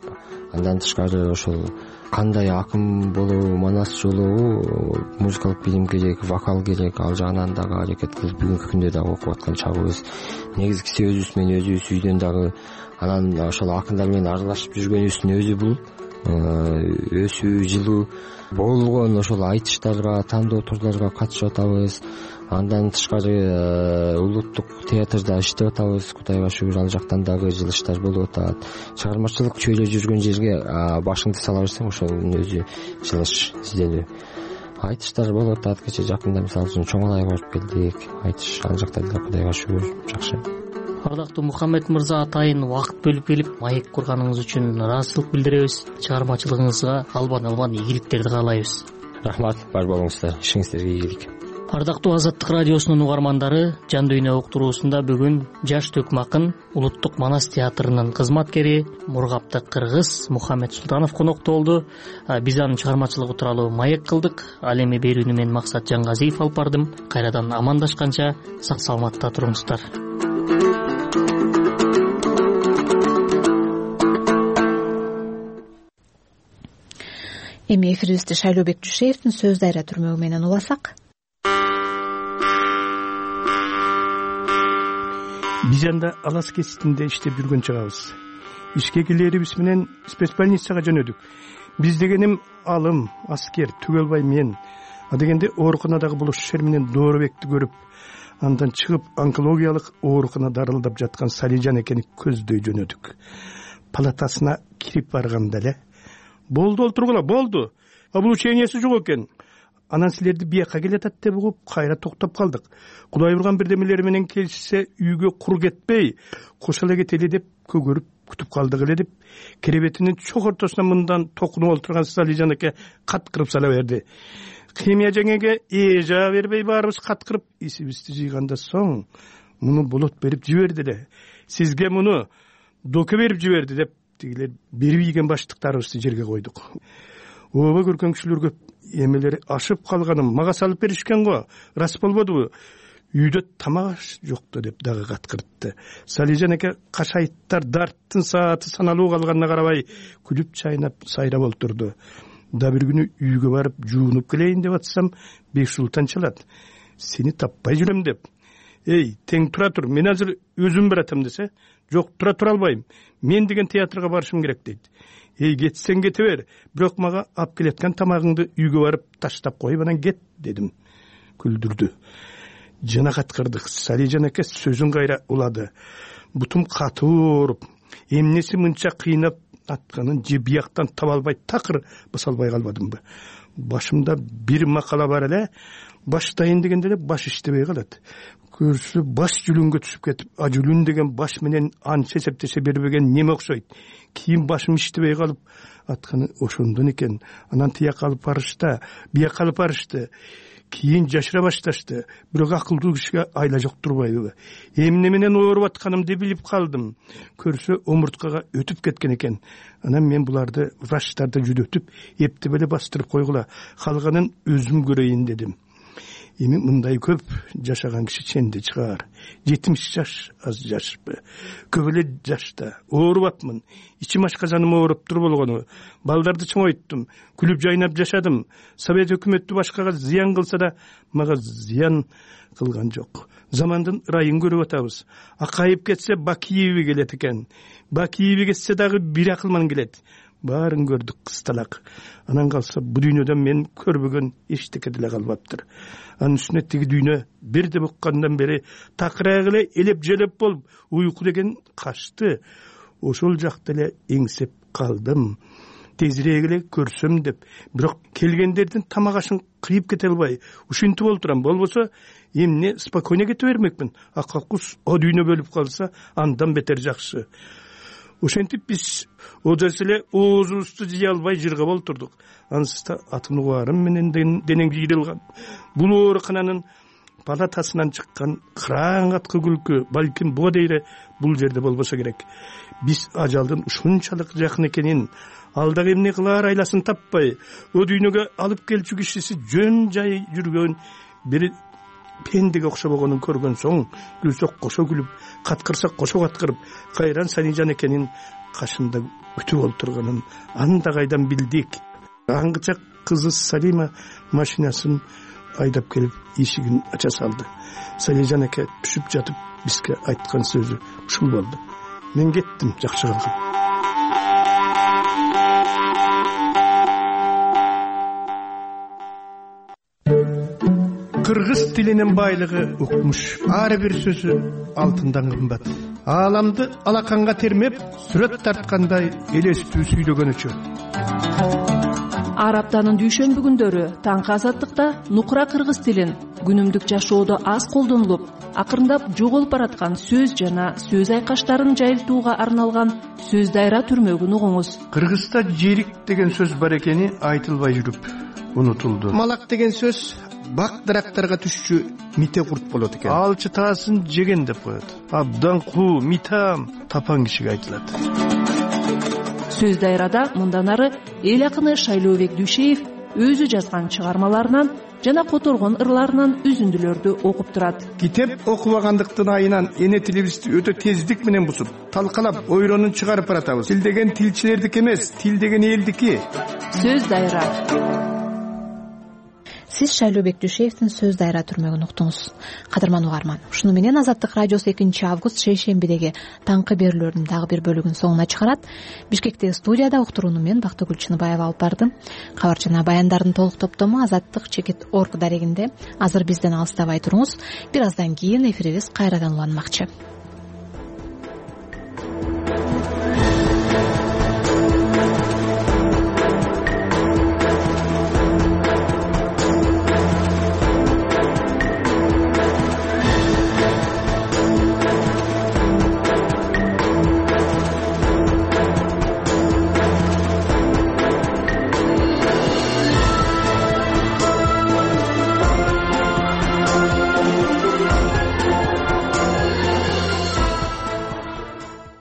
Speaker 12: андан тышкары ошол кандай акын болобу, манас жолобу, музыкалык билим керек, вокал керек, ал жагынан дагы аракет кылып бүгүнкү күндө дагы окуп аткан чагыбыз. Негизгиси өзүбүз менен өзүбүз үйдөн дагы анан ошол акындар менен аралашып жүргөнүбүздүн өзү бул өсүү жылуу болгон ошол айтыштарга, тандоо турларга катышып атабыз. Андан тышкары улуттук театрда иштеп атабыз. Кудайга шүгүр, ал жактан дагы жылыштар болуп атат. Чыгармачылык чөйрө жүргөн жерге башыңды сала берсең, ошонун өзү жылыш, изденүү. Айтыштар болуп атат. Кече жакында мисалы үчүн Чоңалайга барып келдик. Айтыш ал жакта деле Кудайга шүгүр жакшы.
Speaker 11: Ардактуу Мухаммед мырза, атайын убакыт бөлүп келип маек курганыңыз үчүн ыраазычылык билдиребиз. Чыгармачылыгыңызга албан-албан ийгиликтерди каалайбыз.
Speaker 12: Рахмат, бар болуңуздар. Ишиңиздерге ийгилик.
Speaker 11: Ардактуу Азаттык радиосунун угармандары, Жан дүйнө уктуруусунда бүгүн жаш Төкмө акын Улуттук Манас театрынын кызматкери, мургаптык кыргыз Мухаммед Султанов конокто болду. Биз анын чыгармачылыгы тууралуу маек кылдык. Ал эми берүүнү мен Максат Жангазиев алып бардым. Кайрадан амандашканча сак саламатта туруңуздар.
Speaker 1: эми эфирибизди Шайлообек Жушеевдин сөз дайра түрмөгү менен уласак.
Speaker 3: Биз анда Алас кеситинде иштеп жүргөн чагыбыз. Ишке келерибиз менен спецбольницага жөнөдүк. Биз дегеним алым, аскер, Түгөлбай мен, а дегенде ооруканадагы булушер менен Доорбекти көрүп, андан чыгып онкологиялык оорукана дарылдап жаткан Салижан экени көздөй жөнөдүк. Палатасына кирип барганда эле болду олтургула, болду. Облучениясы жок экен. Анан силерди бияка келатат деп угуп, кайра токтоп калдык. Кудай урган бирдемелери менен келишсе, үйгө кур кетпей, кошо эле кетели деп көгөрүп күтүп калдык эле деп, керебетинин чок ортосуна мындан токунуп олтурган Салижан эке каткырып сала берди. Химия жеңеге эжа бербей баарыбыз каткырып, исибизди жыйганда соң муну болот берип жиберди эле. Сизге муну доке берип жиберди деп, тигилер берип ийген баштыктарыбызды жерге койдук. Ооба көргөн кишилер көп, эмелери ашып калганым мага салып беришкен го, рас болбодубу? Үйдө тамак жокто деп дагы каткыртты. Салижан эке кашайттар дарттын сааты саналуу калганына карабай күлүп чайнап сайрап олтурду. Да бир күнү үйгө барып жуунуп келейин деп атсам, Бексултан чалат. Сени таппай жүрөм деп. Эй, тең тура тур, мен азыр өзүм баратам десе, жок, тура тура албайм. Мен деген театрга барышым керек дейт. Эй, кетсең кете бер, бирок мага алып келеткан тамагыңды үйгө барып таштап коюп анан кет дедим. Күлдүрдү. Жана каткырдык. Салижан эке сөзүн кайра улады. Бутум катуу ооруп, эмнеси мынча кыйнап атканын же бияктан таба албай такыр баса албай калбадымбы? Башымда бир макала бар эле, баштайын дегенде эле баш иштебей калат. Көрсө баш жүлүнгө түшүп кетип, а жүлүн деген баш менен анча эсептеше бербеген неме окшойт. Кийин башым иштебей калып атканы ошондон экен. Анан тияк алып барышты, бияк алып барышты. Кийин жашыра башташты. Бирок акылдуу кишиге айла жок турбайбы? Эмне менен ооруп атканымды билип калдым. Көрсө омурткага өтүп кеткен экен. Анан мен буларды врачтарды жүдөтүп, эптеп эле бастырып койгула, калганын өзүм көрөйүн дедим. Эми мындай көп жашаган киши ченде чыгар. жетимиш жаш аз жашпы. Көп эле жашта оорубапмын. Ичим ашказаным ооруп тур болгону. Балдарды чоңойттум. Күлүп жайнап жашадым. Совет өкмөтү башкага зыян кылса да, мага зыян кылган жок. Замандын ырайын көрүп атабыз. Акайып кетсе Бакиеви келет экен. Бакиеви кетсе дагы бир акылман келет. Баарын көрдүк кысталак. Анан калса бу дүйнөдөн мен көрбөгөн эчтеке деле калбаптыр. Анын үстүнө тиги дүйнө бирде буккандан бери такырак эле элеп желеп болуп, уйку деген качты. Ошол жакта эле эңсеп калдым. Тезирээк эле көрсөм деп, бирок келгендердин тамак ашын кыйып кете албай, ушинтип олтурам. Болбосо эмне спокойно кете бермекмин. Акакус о дүйнө бөлүп калса, андан бетер жакшы. Ошентип биз одас эле оозубузду жыя албай жыргап олтурдук. Анысында атын угарым менен денең жыйрылган. Бул оорукананын палатасынан чыккан кыраң аткы күлкү балким буга дейре бул жерде болбосо керек. Биз ажалдын ушунчалык жакын экенин, алдагы эмне кылаар айласын таппай, о дүйнөгө алып келчү кишиси жөн жай жүргөн бир пендеге окшобогонун көргөн соң, күлсөк кошо күлүп, каткырсак кошо каткырып, кайран Салижан экенин кашында күтүп олтурганын анда кайдан билдик. Аңгыча кызы Салима машинасын айдап келип эшигин ача салды. Салижан эке түшүп жатып бизге айткан сөзү ушул болду. Мен кеттим, жакшы калгам. Кыргыз тилинин байлыгы укмуш. Ар бир сөзү алтындан кымбат. Ааламды алаканга термеп, сүрөт тарткандай элестүү сүйлөгөнүчө.
Speaker 14: Ар аптанын дүйшөмбү күндөрү таңкы азаттыкта нукура кыргыз тилин күнүмдүк жашоодо аз колдонулуп, акырындап жоголуп бараткан сөз жана сөз айкаштарын жайылтууга арналган сөз дайра түрмөгүн угуңуз.
Speaker 3: Кыргызда жерик деген сөз бар экени айтылбай жүрүп унутулду. Малак деген сөз бак дарактарга түшчү мите курт болот экен. Алчы таасын жеген деп коет. Абдан куу, митам тапан кишиге айтылат.
Speaker 14: Сөз дайрада мындан ары эл акыны Шайлообек Дүйшеев өзү жазган чыгармаларынан жана которгон ырларынан үзүндүлөрдү окуп турат.
Speaker 3: Китеп окубагандыктын айынан эне тилибизди өтө тездик менен бузуп, талкалап, ойронун чыгарып баратабыз. Тил деген тилчилердики эмес, тил деген элдики.
Speaker 14: Сөз дайра.
Speaker 1: Сиз Шайлообек Дүйшеевдин Сөз дайра түрмөгүн уктуңуз. Кадырман угарман, ушуну менен Азаттык радиосу экинчи август шейшембидеги таңкы берүүлөрдүн дагы бир бөлүгүн соңуна чыгарат. Бишкектеги студияда уктурууну мен Бактыгүл Чыныбаева алып бардым. Кабар жана баяндардын толук топтому азаттык чекит точка орг дарегинде. Азыр бизден алыстабай туруңуз. Бир аздан кийин эфирибиз кайрадан уланмакчы.